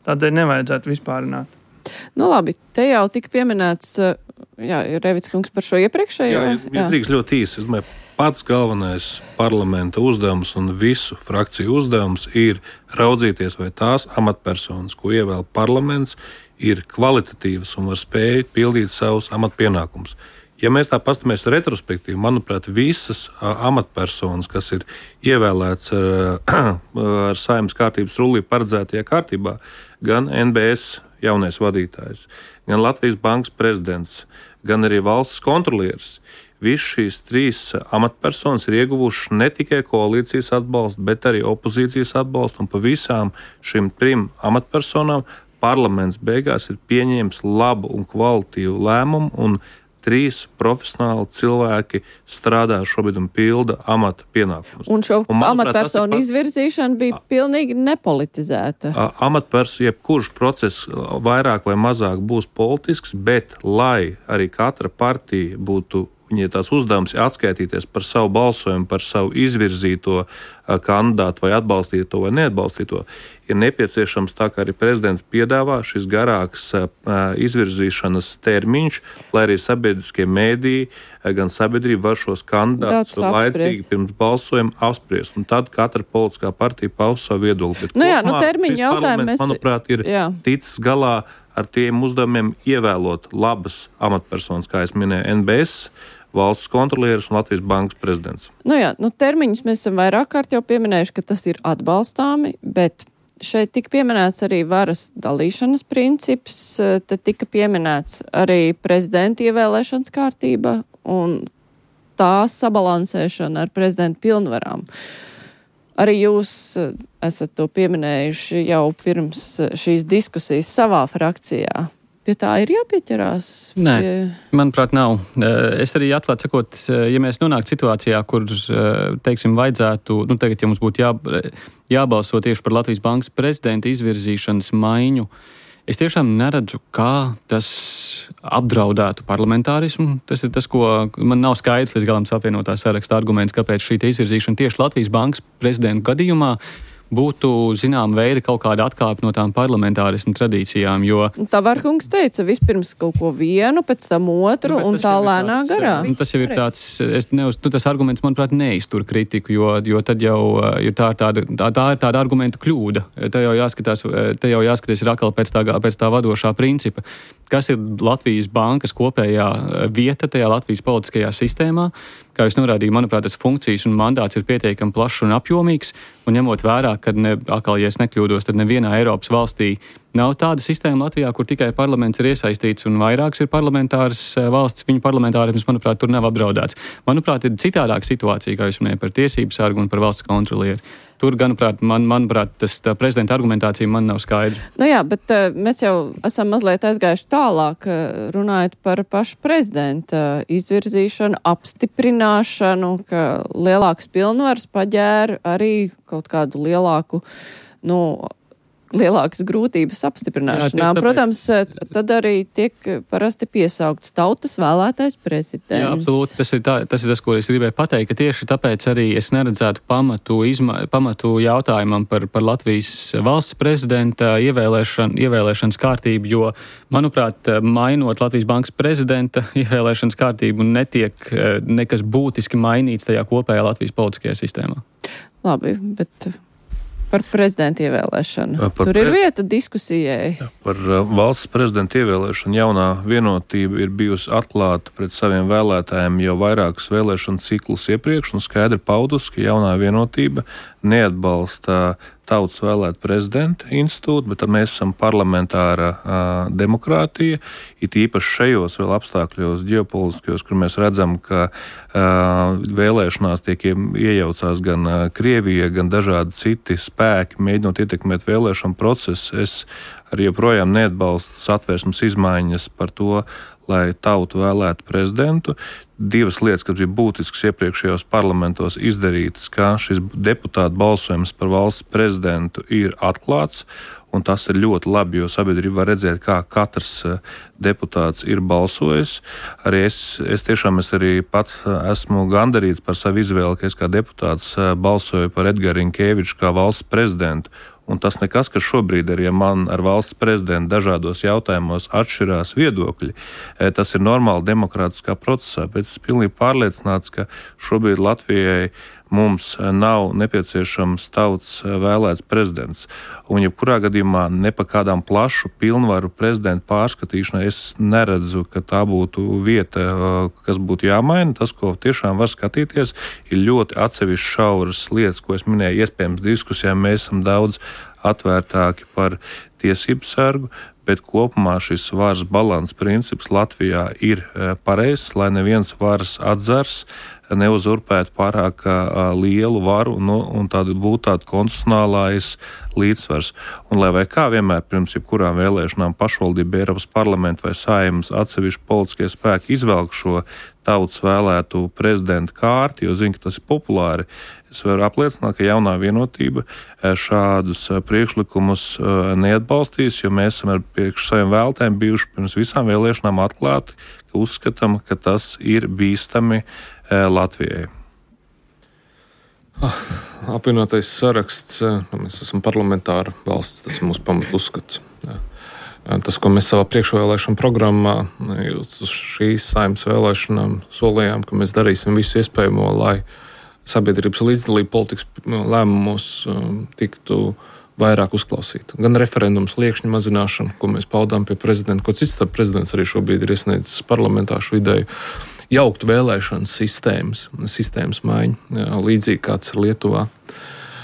Tādēļ nevajadzētu vispārināt. Labi, te jau tika pieminēts, Revits kungs par šo iepriekšējo. Jā, drīkst ļoti īsi. Es domāju, pats galvenais parlamenta uzdevums un visu frakciju uzdevums ir raudzīties, vai tās amatpersonas, ko ievēl parlaments, ir kvalitatīvas un var spēt pildīt savus amatpienākumus. Ja mēs tā paskatāmies retrospektīvi, manuprāt, visas amatpersonas, kas ir ievēlēts ar Saeimas kārtības rullī paredzētajā kārtībā, gan NBS jaunais vadītājs, gan Latvijas bankas prezidents, gan arī valsts kontrolieris, visas šīs trīs amatpersonas ir ieguvušas ne tikai koalīcijas atbalstu, bet arī opozīcijas atbalstu, un pa visām šīm trim amatpersonām parlaments beigās ir pieņēmis labu un kvalitīvu lēmumu, un 3 profesionāli cilvēki strādā šobrīd un pilda amata pienākumus. Un šo amatpersonu izvirzīšana bija pilnīgi nepolitizēta. Jebkurš process vairāk vai mazāk būs politisks, bet lai arī katra partija būtu, viņai tās uzdevums atskaitīties par savu balsojumu, par savu izvirzīto kandidātu vai atbalstīto vai neatbalstīto, ir nepieciešams, tā kā arī prezidents piedāvā, šis garāks izvirzīšanas termiņš, lai arī sabiedriskie mēdīji, gan sabiedrība var šos kandidātus laicīgi pirms balsojuma apspriest. Un tad katra politiskā partija paus savu viedokli. Termiņu jautājumu mēs... Manuprāt, ir ticis galā ar tiem uzdevumiem ievēlot labas amatpersonas, kā es minēju, NBS, valsts kontrolieris un Latvijas bankas prezidents. Termiņus mēs esam vairāk kārt jau pieminējuši, ka tas ir atbalstāmi, bet šeit tika pieminēts arī varas dalīšanas princips, te tika pieminēts arī prezidenta ievēlēšanas kārtība un tās sabalansēšana ar prezidenta pilnvarām. Arī jūs esat to pieminējuši jau pirms šīs diskusijas savā frakcijā. Pie tā ir jāpieķerās? Nē, manuprāt, nav. Es arī atklāt sakot, ja mēs nonāktu situācijā, kur, teiksim, vajadzētu, tagad, ja mums būtu jābalso tieši par Latvijas bankas prezidenta izvirzīšanas maiņu, es tiešām neredzu, kā tas apdraudētu parlamentārismu. Tas ir tas, ko man nav skaidrs līdz galam apvienotā saraksta arguments, kāpēc šī izvirzīšana tieši Latvijas bankas prezidenta gadījumā būtu, zinām, veida kaut kāda atkāpe no tām parlamentārismu tradīcijām, jo... Tavarkungs teica, vispirms kaut ko vienu, pēc tam otru, un tā lēnā garā. Tas jau ir tāds, tas arguments, manuprāt, neiztur kritiku, jo tad jau tā ir tāda argumentu kļūda. Te jau jāskatās ir atkal pēc tā vadošā principa. Kas ir Latvijas bankas kopējā vieta tajā Latvijas politiskajā sistēmā? Kā jūs norādījāt, manuprāt, tas funkcijas un mandāts ir pietiekami plašs un apjomīgs, un ņemot vērā, ka, ja es nekļūdos, tad nevienā Eiropas valstī nav tāda sistēma Latvijā, kur tikai parlaments ir iesaistīts un vairāks ir parlamentārs valsts, viņu parlamentārisms, manuprāt, tur nav apdraudēts. Manuprāt, ir citādāka situācija, kā jūs minējāt, par tiesību sargu un par valsts kontrolieri. Tur, manuprāt, tā prezidenta argumentācija man nav skaidra. Bet mēs jau esam mazliet aizgājuši tālāk, runājot par pašu prezidenta izvirzīšanu, apstiprināšanu, ka lielāks pilnvars paģēra arī kaut kādu lielāku, lielākas grūtības apstiprināšanā. Jā, protams, tad arī tiek parasti piesaukts tautas vēlētais prezidents. Jā, absolūti. Tas ir tas, ko es gribēju pateikt, ka tieši tāpēc arī es neredzētu pamatu jautājumam par Latvijas valsts prezidenta ievēlēšanas kārtību, jo, manuprāt, mainot Latvijas bankas prezidenta ievēlēšanas kārtību, netiek nekas būtiski mainīts tajā kopējā Latvijas politiskajā sistēmā. Labi, bet par prezidenta ievēlēšanu. Tur ir vieta diskusijai. Par valsts prezidenta ievēlēšanu jaunā vienotība ir bijusi atklāta pret saviem vēlētājiem jau vairākus vēlēšanu ciklus iepriekš un skaidri paudusi, ka jaunā vienotība neatbalsta tautas vēlēt prezidenta institūtu, bet mēs esam parlamentāra demokrātija, it īpaši šajos vēl apstākļos ģeopolitiskajos, kur mēs redzam, ka vēlēšanās tiek iejaucās gan Krievija, gan dažādi citi spēki, mēģinot ietekmēt vēlēšanu procesu. Es arī joprojām neatbalstu satversmes izmaiņas par to, lai tautu vēlētu prezidentu. Divas lietas, kas bija būtiskas iepriekšējos parlamentos izdarītas, ka šis deputātu balsojums par valsts prezidentu ir atklāts, un tas ir ļoti labi, jo sabiedrība var redzēt, kā katrs deputāts ir balsojis. Arī es tiešām arī pats esmu gandarīts par savu izvēli, ka es kā deputāts balsoju par Edgars Rinkēviču kā valsts prezidentu. Un tas nekas, ka šobrīd arī man ar valsts prezidentu dažādos jautājumos atšķirās viedokļi. Tas ir normāli demokrātiskā procesā, bet es pilnīgi pārliecināts, ka šobrīd Latvijai mums nav nepieciešams tautas vēlēts prezidents. Un jebkurā gadījumā ne pa kādām plašu pilnvaru prezidentu pārskatīšanai es neredzu, ka tā būtu vieta, kas būtu jāmaina. Tas, ko tiešām var skatīties, ir ļoti atsevišķi šauras lietas, ko es minēju. Iespējams, diskusijām mēs esam daudz atvērtāki par tiesību sargu, bet kopumā šis varas balanss princips Latvijā ir pareizs, lai neviens varas atzars neuzurpētu pārāk lielu varu un būtu tāda konstitucionālais līdzsvars. Un lai vai kā vienmēr pirms jebkurām vēlēšanām pašvaldība, Eiropas parlamenta vai Saeimas atsevišķi politiskie spēki izvelk šo tautas vēlētu prezidentu kārti, jo zina, ka tas ir populāri. Es varu apliecināt, ka jaunā vienotība šādus priekšlikumus neatbalstīs, jo mēs esam ar priekš saviem vēlētājiem bijuši pirms visām vēlēšanām atklāti, ka uzskatām, ka tas ir bīstami Latvijai. Apvienotais saraksts, mēs esam parlamentāra valsts, tas ir mūsu pamatu uzskats. Tas, ko mēs savā priekšvēlēšana programmā uz šīs Saeimas vēlēšanām solījām, ka mēs darīsim visu iespējamo, lai sabiedrības līdzdalība politikas lēmumos tiktu vairāk uzklausīta. Gan referendums liekšņa mazināšana, ko mēs paudām pie prezidenta, ko cits prezidents arī šobrīd ir iesniedzis parlamentā šo ideju, jaukt vēlēšanas sistēmas maiņu, līdzīgi kāds ir Lietuvā.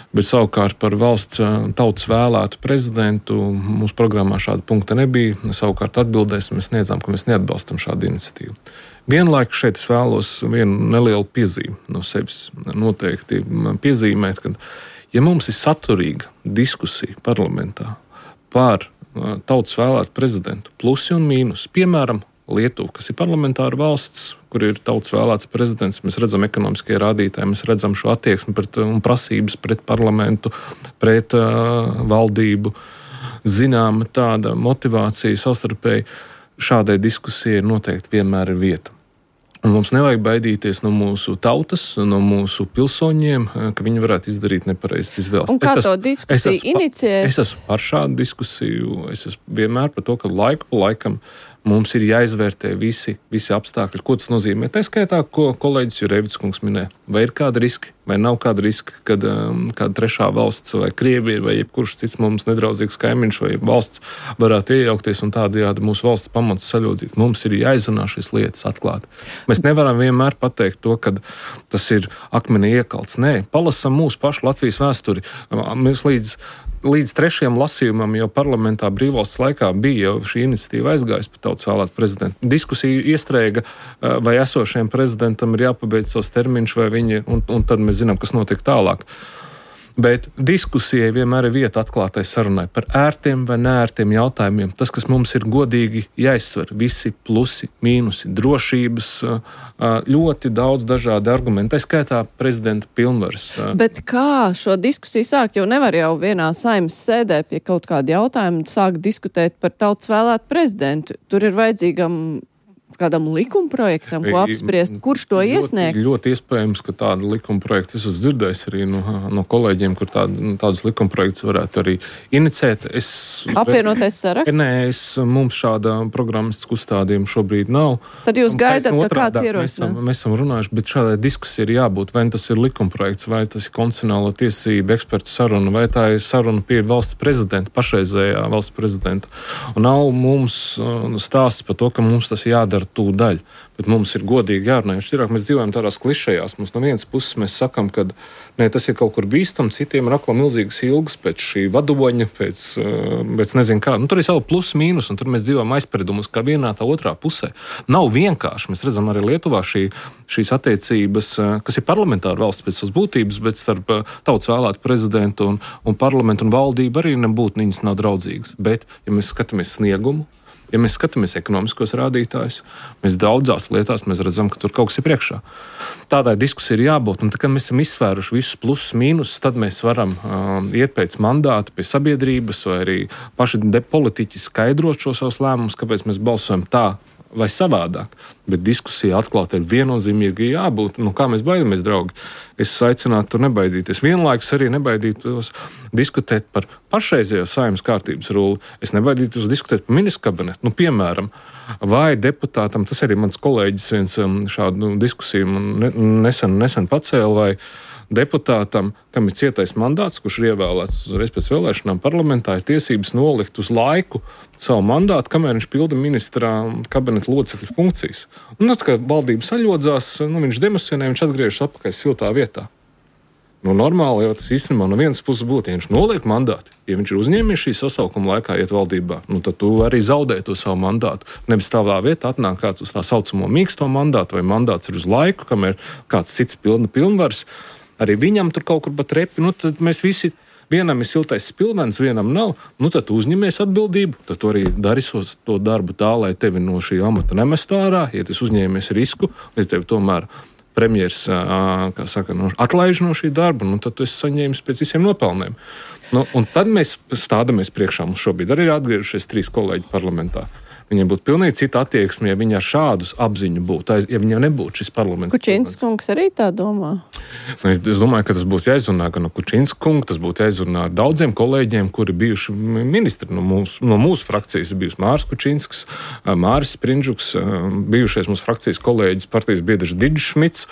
Bet savukārt par valsts tautas vēlētu prezidentu mūsu programmā šāda punkta nebija. Savukārt atbildēs mēs sniedzām, ka mēs neatbalstam šādu iniciatīvu. Vienlaikus šeit es vēlos vienu nelielu piezīmi no sevis noteikti piezīmēt, ka ja mums ir saturīga diskusija parlamentā par tautas vēlētu prezidentu plusi un mīnus, piemēram, Lietuva, kas ir parlamentāra valsts, kur ir tautas vēlēts prezidents, mēs redzam ekonomiskie rādītāji, mēs redzam šo attieksmi un prasības pret parlamentu, pret valdību, zināma tāda motivācija savstarpēji. Šādai diskusijai noteikti vienmēr ir vieta. Un mums nevajag baidīties no mūsu tautas, no mūsu pilsoņiem, ka viņi varētu izdarīt nepareizas izvēles. Un kā to diskusiju inicijēt? Es esmu par šādu diskusiju. Es esmu vienmēr par to, ka laiku pa laikam mums ir jāizvērtē visi apstākļi. Ko tas nozīmē? Tā skaitā, ko kolēģis Jurevits kungs minēja. Vai ir kāda riska, vai nav kāda riska, kad kāda trešā valsts vai Krievija vai jebkurš cits mums nedraudzīgs kaimiņš vai valsts varētu iejaukties un tādējādi mūsu valsts pamatus saļodzīt. Mums ir jāizrunā šīs lietas atklāti. Mēs nevaram vienmēr pateikt to, ka tas ir akmenī iekalts. Nē, palasam mūsu pašu Latvijas vēsturi. Mēs līdz trešajam lasījumam jau parlamentā brīvvalsts laikā bija jau šī iniciatīva aizgājusi par tautas vēlētu prezidentu. Diskusija iestrēga, vai esošajam prezidentam ir jāpabeidz savs termiņš, vai viņi, un tad mēs zinām, kas notiek tālāk. Bet diskusijai vienmēr ir vieta atklātai sarunai par ērtiem vai neērtiem jautājumiem. Tas, kas mums ir godīgi jāizsver, visi plusi, mīnusi, drošības, ļoti daudz dažādi argumenti, tā skaitā prezidenta pilnvaras. Bet kā šo diskusiju sākt, jo nevar jau vienā Saeimas sēdē pie kaut kāda jautājuma sākt diskutēt par tautas vēlētu prezidentu. Tur ir vajadzīgam kādam likumprojektam, ko apspriest, kurš to iesniegs? Ļoti iespējams, ka tādu likumprojektu es esmu dzirdējis arī no kolēģiem, kur tādus likumprojektus varētu arī iniciēt. Apvienotais saraksts? Nē, mums šāda programmas uzstādījuma šobrīd nav. Tad jūs gaidat, ka kāds ierosinās? Mēs esam runājuši, bet šādai diskusija ir jābūt. Vai tas ir likumprojekts, vai tas ir konstitucionālo tiesību ekspertu saruna, vai tā ir saruna pie valsts prezidenta, pašreizējā valsts prezidenta. Un nav mums stāsts par to, ka mums tas jādara tūdaļ, bet mums ir godīgi jārunā. Mēs dzīvojam tādās klišejās. Mums no vienas puses mēs sakam, ka tas ir kaut kur bīstam, citiem ir akla milzīgas ilgas pēc šī vadoņa, pēc nezinu kā. Tur ir savu plus, mīnus, un tur mēs dzīvojam aizspriedumus kā vienā tā otrā pusē. Nav vienkārši. Mēs redzam arī Lietuvā šīs attiecības, kas ir parlamentāra valsts pēc savas būtības, bet starp tautas vēlētu prezidentu un parlamentu un valdību arī nebūtu viņas nav draudzīgas. Bet, ja mēs skatāmies sniegumu, ja mēs skatāmies ekonomiskos rādītājus, mēs daudzās lietās mēs redzam, ka tur kaut kas ir priekšā. Tādai diskusija ir jābūt, un tā, kad mēs esam izsvēruši visus plusus, mīnusus, tad mēs varam iet pēc mandāta pie sabiedrības vai arī paši politiķi skaidrot šo savus lēmumus, kāpēc mēs balsojam tā vai savādāk. Bet diskusija atklāti ir viennozīmīgi jābūt. Kā mēs baidamies, draugi? Es aicinātu tur nebaidīties. Vienlaikus arī nebaidītos diskutēt par pašreizējo Saeimas kārtības rulli. Es nebaidītos diskutēt par ministru kabinetu. Piemēram, vai deputātam, tas arī mans kolēģis viens šādu diskusiju nesen pacēla, vai deputātam, kam ir cietais mandāts, kurš ir ievēlēts uzreiz pēc vēlēšanām parlamentā, ir tiesības nolikt uz laiku savu mandātu, kamēr viņš pilda ministrā kabineta locekļu funkcijas. Un tad, kad valdība saļodzās, viņš demisionē, viņš atgriežas atpakaļ siltā vietā. Normāli jau tas īstenībā no vienas puses būtu, ja viņš noliek mandātu, ja viņš ir uzņēmies šī sasaukuma laikā iet valdībā, tad tu arī zaudē to savu mandātu. Nevis tavā vietā atnāk kāds uz tā saucamo mīksto mandātu, vai mandāts ir uz laiku, kamēr kāds cits pilna pilnvaras. Arī viņam tur kaut kur pat repi, tad mēs visi, vienam ir siltais spilvens, vienam nav, tad tu uzņemies atbildību, tad tu arī darīsos to darbu tā, lai tevi no šī amata nemestu ārā, ja tu uzņēmies risku, ja tevi tomēr premjers, atlaiž no šī darba, tad tu esi saņēmis pēc visiem nopelniem. Un tad mēs stādamies priekšā, mums šobrīd arī ir atgriežušies 3 kolēģi parlamentā. Viņiem būtu pilnīgi cita attieksme, ja viņi ar šādus apziņu būtu, ja viņiem nebūtu šis parlaments. Kučīnskas kungs arī tā domā? Es domāju, ka tas būtu jāizrunā gan no Kučīnskas kunga, tas būtu jāizrunā ar daudziem kolēģiem, kuri bijuši ministri. No mūsu frakcijas ir bijusi Māris Kučīnskas, Māris Sprindžuks, bijušais mūsu frakcijas kolēģis, partijas biedrs Digis Šmits,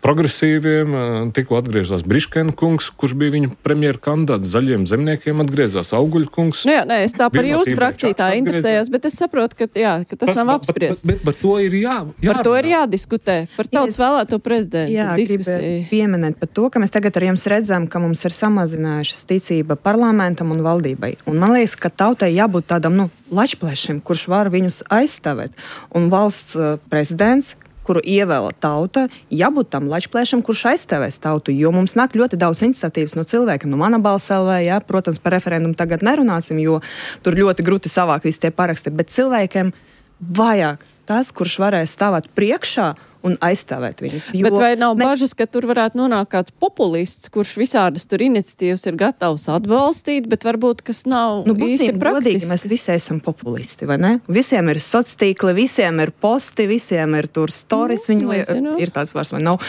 progresīviem, tikko atgriezās Briškena kungs, kurš bija viņa premjera kandidāts, zaļiem zemniekiem atgriezās Auguļa kungs. Es tā par jūsu frakciju tā interesējos, bet es saprotu, ka tas nav apspriests. Bet par to ir par to ir jādiskutē, par tautas vēlēto prezidentu diskusiju. Gribētu pieminēt par to, ka mēs tagad ar jums redzam, ka mums ir samazinājušas ticība parlamentam un valdībai. Un man liekas, ka tautai jābūt tādam, lačplēšiem, kurš var viņus aizstāvēt. Un valsts prezidents, kuru ievēla tauta, jābūt tam lačplēšam, kurš aizstāvēs tautu, jo mums nāk ļoti daudz iniciatīvas no cilvēkiem. Mana balss LV, protams, par referendumu tagad nerunāsim, jo tur ļoti grūti savākt visi tie paraksti, bet cilvēkiem vajag tas, kurš varēs stāvēt priekšā un aizstāvēt viņus. Bet vai nav bažas, ka tur varētu nonākt kāds populists, kurš visādas tur iniciatīvas ir gatavs atbalstīt, bet varbūt kas nav īsti praktisks? Mēs visi esam populisti, vai ne? Visiem ir sociātīkli, visiem ir posti, visiem ir tur stories, ir tāds vairs vai nav.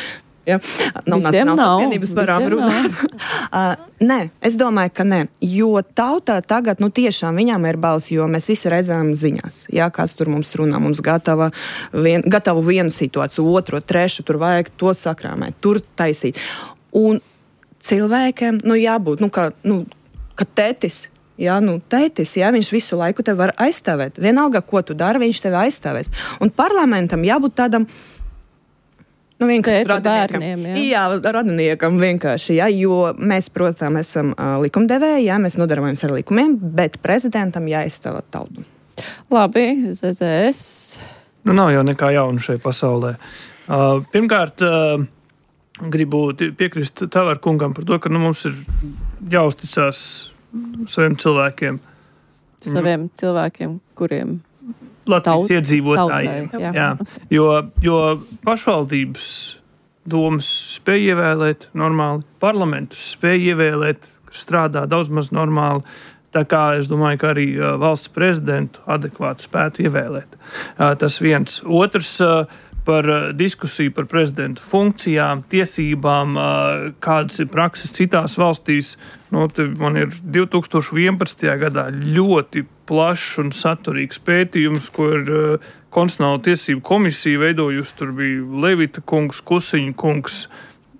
Ja? Visiem nav. Nē, es domāju, ka nē. Jo tautā tagad, tiešām viņām ir balss, jo mēs visi redzam ziņās. Jā, kāds tur mums runā, mums gatavu vienu situāciju, otru, trešu, tur vajag to sakrāmēt, tur taisīt. Un cilvēkiem, jābūt, ka tētis, tētis, viņš visu laiku tevi var aizstāvēt. Vienalga, ko tu dari, viņš tevi aizstāvēs. Un parlamentam jābūt tādam, radiniekam vienkārši, jo mēs, protams, esam likumdevēji, mēs nodarbojamies ar likumiem, bet prezidentam jāizstāv tautu. Labi, ZZS. Nav jau nekā jauna šai pasaulē. Pirmkārt, gribu piekrist Tavar kungam par to, ka mums ir jāuzticās saviem cilvēkiem. Saviem cilvēkiem, kuriem Latvijas iedzīvotājiem. Tautai, jā. Jo pašvaldības domas spēj ievēlēt normāli, parlamentus spēj ievēlēt, kas strādā daudz maz normāli. Tā kā es domāju, ka arī valsts prezidentu adekvāti spētu ievēlēt. Tas viens. Otrs par diskusiju par prezidentu funkcijām, tiesībām, kādas ir prakses citās valstīs. Man ir 2011. gadā ļoti plašs un saturīgs pētījums, ko ir Konstitucionālo tiesību komisija veidojusi. Tur bija Levita kungs, Kusiņa kungs.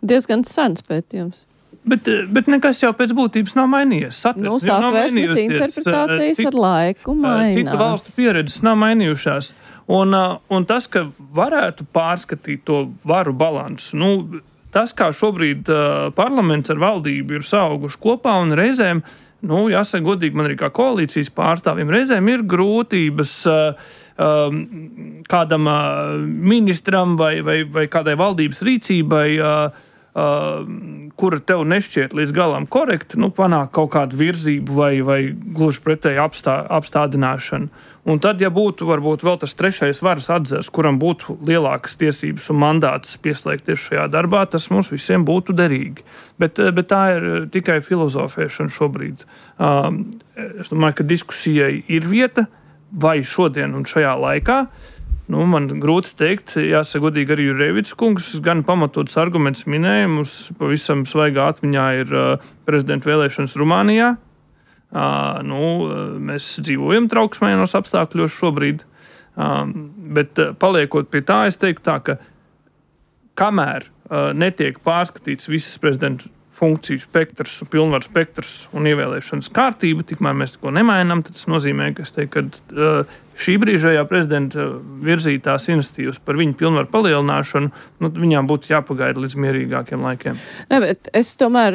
Diezgan sens pētījums. Bet nekas jau pēc būtības nav mainījies. Satversmes interpretācijas ar laiku mainās. Citu valstu pieredzes nav mainījušās. Un tas, ka varētu pārskatīt to varu balansu, tas, kā šobrīd parlaments ar valdību ir sauguši kopā un reizēm, jāsaka godīgi, man arī kā koalīcijas pārstāvjiem, reizēm ir grūtības kādam ministram vai kādai valdības rīcībai, kura tev nešķiet līdz galam korekti, panāk kaut kādu virzību vai gluži pretēji apstādināšanu. Un tad, ja būtu varbūt vēl tas trešais varas atzars, kuram būtu lielākas tiesības un mandāts pieslēgties šajā darbā, tas mums visiem būtu derīgi. Bet tā ir tikai filozofēšana šobrīd. Es domāju, ka diskusijai ir vieta vai šodien un šajā laikā. Man grūti teikt, jāsaka godīgi arī Jurēvics kungs, gan pamatots arguments minēja, mums pavisam svaigā atmiņā ir prezidenta vēlēšanas Rumānijā. Mēs dzīvojam trauksmainos apstākļos šobrīd, bet paliekot pie tā, es teiktu tā, ka kamēr netiek pārskatīts visas prezidenta funkciju spektrs, pilnvaru spektrs un ievēlēšanas kārtība, tikmēr mēs neko nemainām, tad tas nozīmē, ka es teiktu, ka šī brīžējā prezidenta virzītās iniciatīvas par viņu pilnvaru palielināšanu, viņām būtu jāpagaida līdz mierīgākiem laikiem. Ne, bet es tomēr,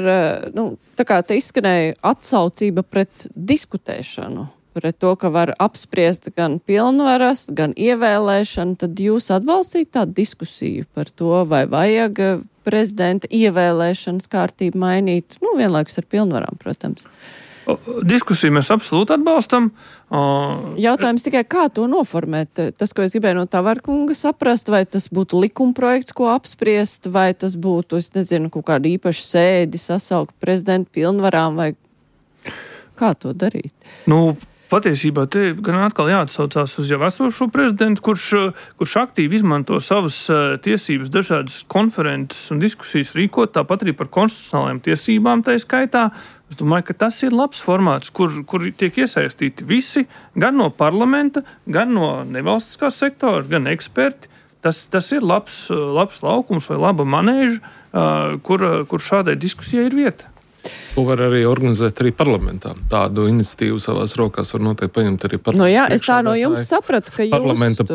tā kā te izskanēja atsaucība pret diskutēšanu, pret to, ka var apspriest gan pilnvaras, gan ievēlēšanu, tad jūs atbalstīt tādu diskusiju par to, vai vajag prezidenta ievēlēšanas kārtību mainīt, vienlaikus ar pilnvarām, protams. Diskusiju mēs absolūti atbalstam. Jautājums tikai, kā to noformēt? Tas, ko es gribēju no Tavara kunga saprast, vai tas būtu likumprojekts, ko apspriest, vai tas būtu, es nezinu, kaut kādu īpašu sēdi sasaukt prezidentu pilnvarām, vai kā to darīt? Patiesībā te gan atkal jāatsaucās uz jau esošo prezidentu, kurš aktīvi izmanto savas tiesības, dažādas konferences un diskusijas rīkot, tāpat arī par konstitucionālajām tiesībām tā skaitā. Es domāju, ka tas ir labs formāts, kur tiek iesaistīti visi, gan no parlamenta, gan no nevalstiskā sektora, gan eksperti. Tas ir labs laukums vai laba manēža, kur šādai diskusijai ir vieta. To var arī organizēt arī parlamentā. Tādu iniciatīvu savās rokās var noteikti paņemt arī parlamentu. Es tā no jums sapratu, ka parlamenta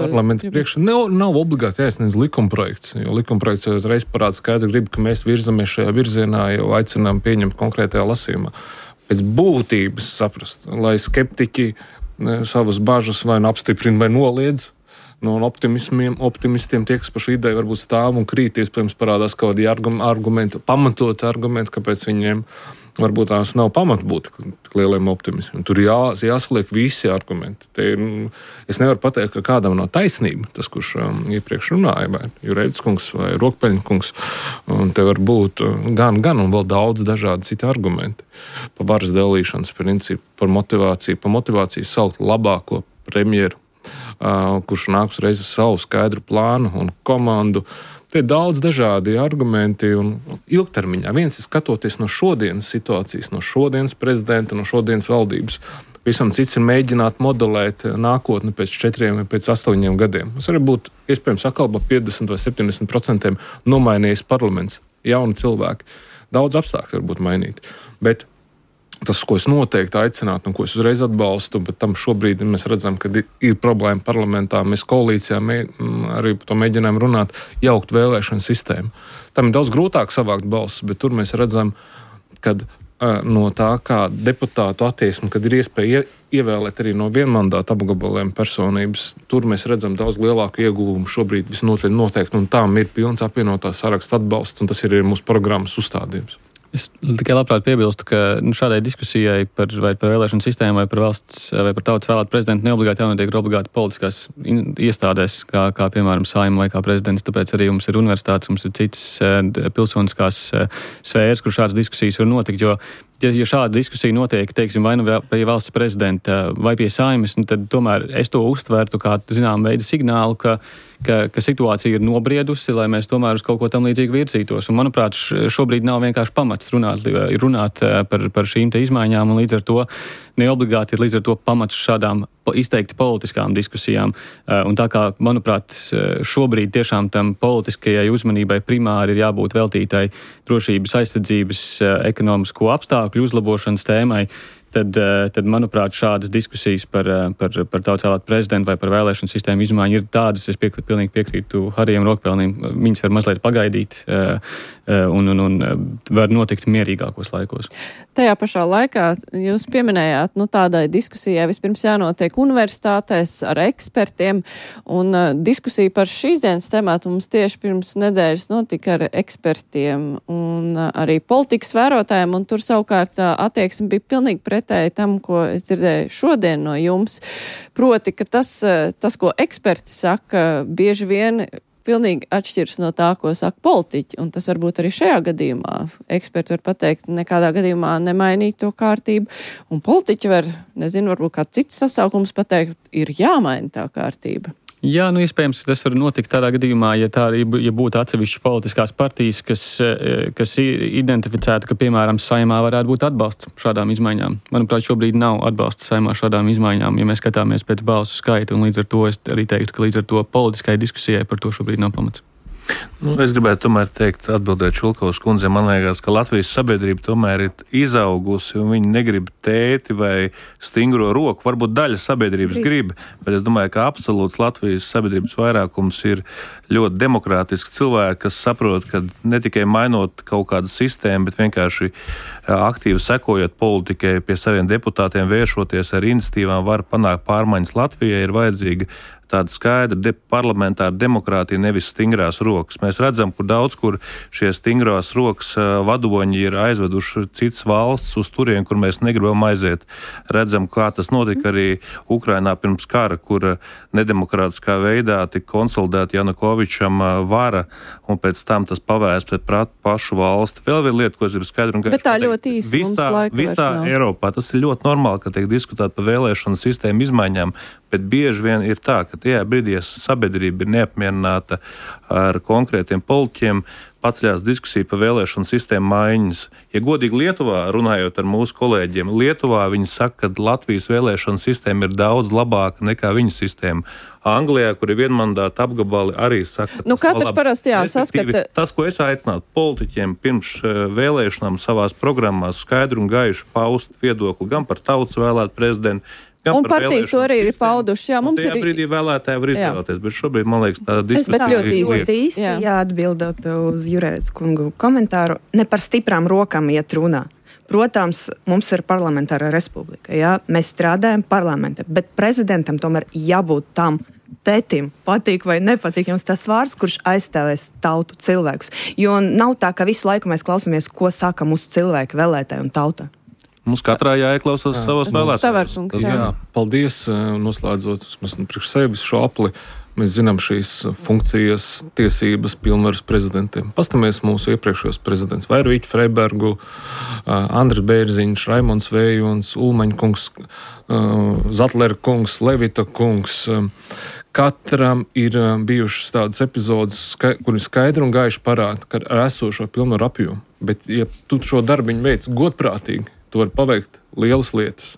priekšā nav obligāti jāiesniedz likumprojekts, jo likumprojekts jau uzreiz parāda skaidri gribu, ka mēs virzamies šajā virzienā, jau aicinām pieņemt konkrētajā lasījumā. Pēc būtības saprast, lai skeptiķi savas bažas vai apstiprina vai noliedz. No optimistiem tie, kas par šo ideju varbūt stāv un krīt, iespējams parādās kaut kādi argumenti, pamatoti argumenti, kāpēc viņiem varbūt tās nav pamata būt lieliem optimismiem. Tur jāsaliek visi argumenti. Es nevaru pateikt, ka kādam nav taisnība, tas, kurš iepriekš runāja, vai Jurēvics kungs vai Rokpeļņa kungs, un te var būt gan un vēl daudz dažādi citi argumenti par varas dalīšanas principu, par motivāciju saukt labāko premjeru, kurš nāks reiz ar savu skaidru plānu un komandu. Te ir daudz dažādi argumenti un ilgtermiņā. Viens ir skatoties no šodienas situācijas, no šodienas prezidenta, no šodienas valdības. Visam cits ir mēģināt modelēt nākotni pēc 4 vai pēc 8 gadiem. Tas var būt iespējams atkal par 50 vai 70% nomainījies parlaments, jauni cilvēki. Daudz apstākļu var būt mainīti. Bet tas, ko es noteikti aicinātu un ko es uzreiz atbalstu, bet tam šobrīd mēs redzam, ka ir problēma parlamentā. Mēs koalīcijā arī par to mēģinām runāt, jaukt vēlēšanu sistēmu. Tam ir daudz grūtāk savākt balsis, bet tur mēs redzam, kad no tā, kā deputātu attieksme, kad ir iespēja ievēlēt arī no vienmandāta apgabaliem personības. Tur mēs redzam daudz lielāku ieguvumu šobrīd visnotaļ noteikti, un tām ir pilns apvienotās saraksta atbalsts, un tas ir arī mūsu programmas uzstādījums. Es tikai labprāt piebilstu, ka šādai diskusijai par vēlēšanu sistēmu vai par valsts vai par tautas vēlētu prezidentu neobligāti jānotiek obligāti politiskās iestādēs, kā piemēram Saeima vai kā prezidents, tāpēc arī mums ir universitātes, mums ir citas pilsoniskās sfēras, kur šādas diskusijas var notikt, jo ja šāda diskusija notiek, teiksim, vai nu pie valsts prezidenta vai pie Saeimas, tad tomēr es to uztvertu kā, zinām, veidu signālu, ka situācija ir nobriedusi, lai mēs tomēr uz kaut ko tam līdzīgi virzītos. Un, manuprāt, šobrīd nav vienkārši pamats runāt par šīm te izmaiņām, un līdz ar to neobligāti ir līdz ar to pamats šādām izteikti politiskām diskusijām. Un tā kā, manuprāt, šobrīd tiešām tam politiskajai uzmanībai primāri ir jābūt veltītai drošības aizsardzības ekonomisko apstākļu uzlabošanas tēmai, tad manuprāt, šādas diskusijas par tautas vēlētu prezidentu vai par vēlēšanu sistēmu izmaiņu ir tādas, es pilnīgi piekrītu Harijam Rokpelnim, viņas var mazliet pagaidīt un var notikt mierīgākos laikos. Tajā pašā laikā jūs pieminējāt, tādai diskusijai vispirms jānotiek universitātēs ar ekspertiem, un diskusija par šīs dienas tematu mums tieši pirms nedēļas notika ar ekspertiem un arī politikas vērotājiem, un tur savukārt attieksme bija pilnīgi pretēji tam, ko es dzirdēju šodien no jums. Proti, ka tas, ko eksperti saka, bieži vien pilnīgi atšķirs no tā, ko saka politiķi, un tas varbūt arī šajā gadījumā. Eksperti var pateikt, nekādā gadījumā nemainīt to kārtību, un politiķi var, varbūt kā cits sasaukums pateikt, ir jāmaina tā kārtība. Jā, iespējams, tas var notikt tādā gadījumā, ja būtu atsevišķas politiskās partijas, kas identificētu, ka, piemēram, Saeimā varētu būt atbalsts šādām izmaiņām. Manuprāt, šobrīd nav atbalsta Saeimā šādām izmaiņām, ja mēs skatāmies pēc balsu skaita, un līdz ar to es arī teiktu, ka līdz ar to politiskai diskusijai par to šobrīd nav pamats. Es gribētu tomēr teikt, atbildēt Čulkovas kundzei, man liekas, ka Latvijas sabiedrība tomēr ir izaugusi, un viņi negrib tēti vai stingro roku. Varbūt daļa sabiedrības grib, bet es domāju, ka absolūts Latvijas sabiedrības vairākums ir ļoti demokrātiski cilvēki, kas saprot, ka ne tikai mainot kaut kādu sistēmu, bet vienkārši aktīvi sekojot politikai, pie saviem deputātiem vēršoties ar iniciatīvām, var panākt pārmaiņas Latvijai, ir vajadzīga tāda skaidra parlamentāra demokrātija, nevis stingrās rokas. Mēs redzam, kur šie stingrās rokas vadoņi ir aizveduši citas valsts uz turien, kur mēs negribam aiziet. Redzam, kā tas notika arī Ukrainā pirms kara, kur nedemokrātiskā veidā tika konsolidēta Janukovičam vara, un pēc tam tas pavērst pret pašu valsti. Vēl viena lieta, ko es gribu skaidru un gaišu. Bet tā ļoti īsti mums laika visā Eiropā tas ir ļoti normāli, ka tiek diskutēt par vēlēšanu sistēmu izmaiņām, bet bieži vien ir tā, ka tajā brīdī sabiedrība ir neapmierināta ar konkrētiem politiķiem, paceļās diskusija par vēlēšanu sistēmu maiņas. Ja godīgi Lietuvā, runājot ar mūsu kolēģiem, Lietuvā viņi saka, ka Latvijas vēlēšanu sistēma ir daudz labāka nekā viņu sistēma. Anglijā, kur ir vienmandāta apgabali, arī saka, ka katrs parasti saskata. Tas, ko es aicinātu politiķiem pirms vēlēšanām savās programmās skaidru un gaišu paust viedokli gan par tautas vēlētu prezidentu, un partijas to arī ir pauduši. Jā, mums tajā brīdī vēlētāji var izvēlēties, bet šobrīd, man liekas, tāda diskusija ļoti īsti. Atbildot uz Jurētas kungu komentāru, ne par stiprām rokām iet runā. Protams, mums ir parlamentāra republika, jā? Mēs strādājam parlamentā, bet prezidentam tomēr jābūt tam tētim, patīk vai nepatīk jums tas vārds, kurš aizstāvēs tautu cilvēkus. Jo nav tā, ka visu laiku mēs klausamies, ko saka mūsu cilvēki, vēlētāji un tauta. Mums katrā jāieklausās savos vēlētājos. Jā, paldies. Noslēdzot priekš sevis šo apli, mēs zinām šīs funkcijas, tiesības, pilnvaras prezidentiem. Pastamies mūsu iepriekšējos prezidents Vairvīķi Freibergu, Andris Bērziņš, Raimonds Vējons, Ulmaņa kungs, Zatlera kungs, Levita kungs. Katram ir bijušas tādas epizodes, kuri skaidri un gaiši parāda, ka ar esošo pilnvaru apjomu. Bet, ja tu šo darbiņu veic godprātīgi, tu vari paveikt lielas lietas.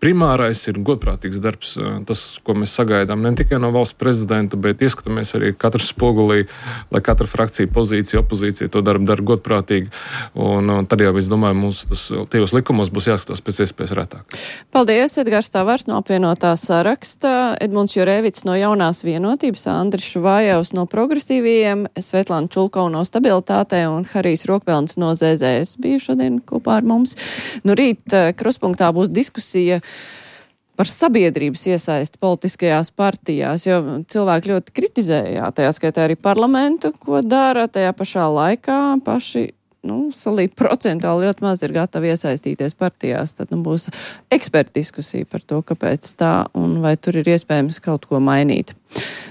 primārais ir godprātīgs darbs. Tas, ko mēs sagaidām ne tikai no valsts prezidenta, bet ieskatāmies arī katru spogulī, lai katra frakcija, pozīcija, opozīcija to dara godprātīgi. Un tad jau, es domāju, mums tajos likumos būs jāskatās pēc iespējas retāk. Paldies, Edgars Tavars no apvienotā saraksta, Edmunds Jurēvits no Jaunās vienotības, Andris Šuvājevs no progresīvajiem, Svetlana Čulkova no stabilitātē un Harijs Rokpelns no ZZS bija šodien kopā ar mums. Nu, rīt Krustpunktā būs diskusija par sabiedrības iesaisti politiskajās partijās, jo cilvēki ļoti kritizēja, tajā skaitā arī parlamentu, ko dara, tajā pašā laikā paši salīdz procentāli ļoti maz ir gatavi iesaistīties partijās. Tad būs eksperta diskusija par to, kāpēc tā un vai tur ir iespējams kaut ko mainīt.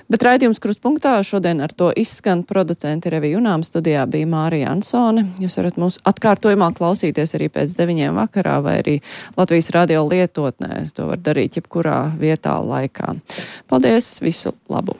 Bet raidījums Krustpunktā šodien ar to izskan. Producenti Revija Junām, studijā bija Mārija Ansone. Jūs varat mūs atkārtojumā klausīties arī pēc 9 vakarā vai arī Latvijas radio lietotnē. To var darīt jebkurā vietā, laikā. Paldies, visu labu!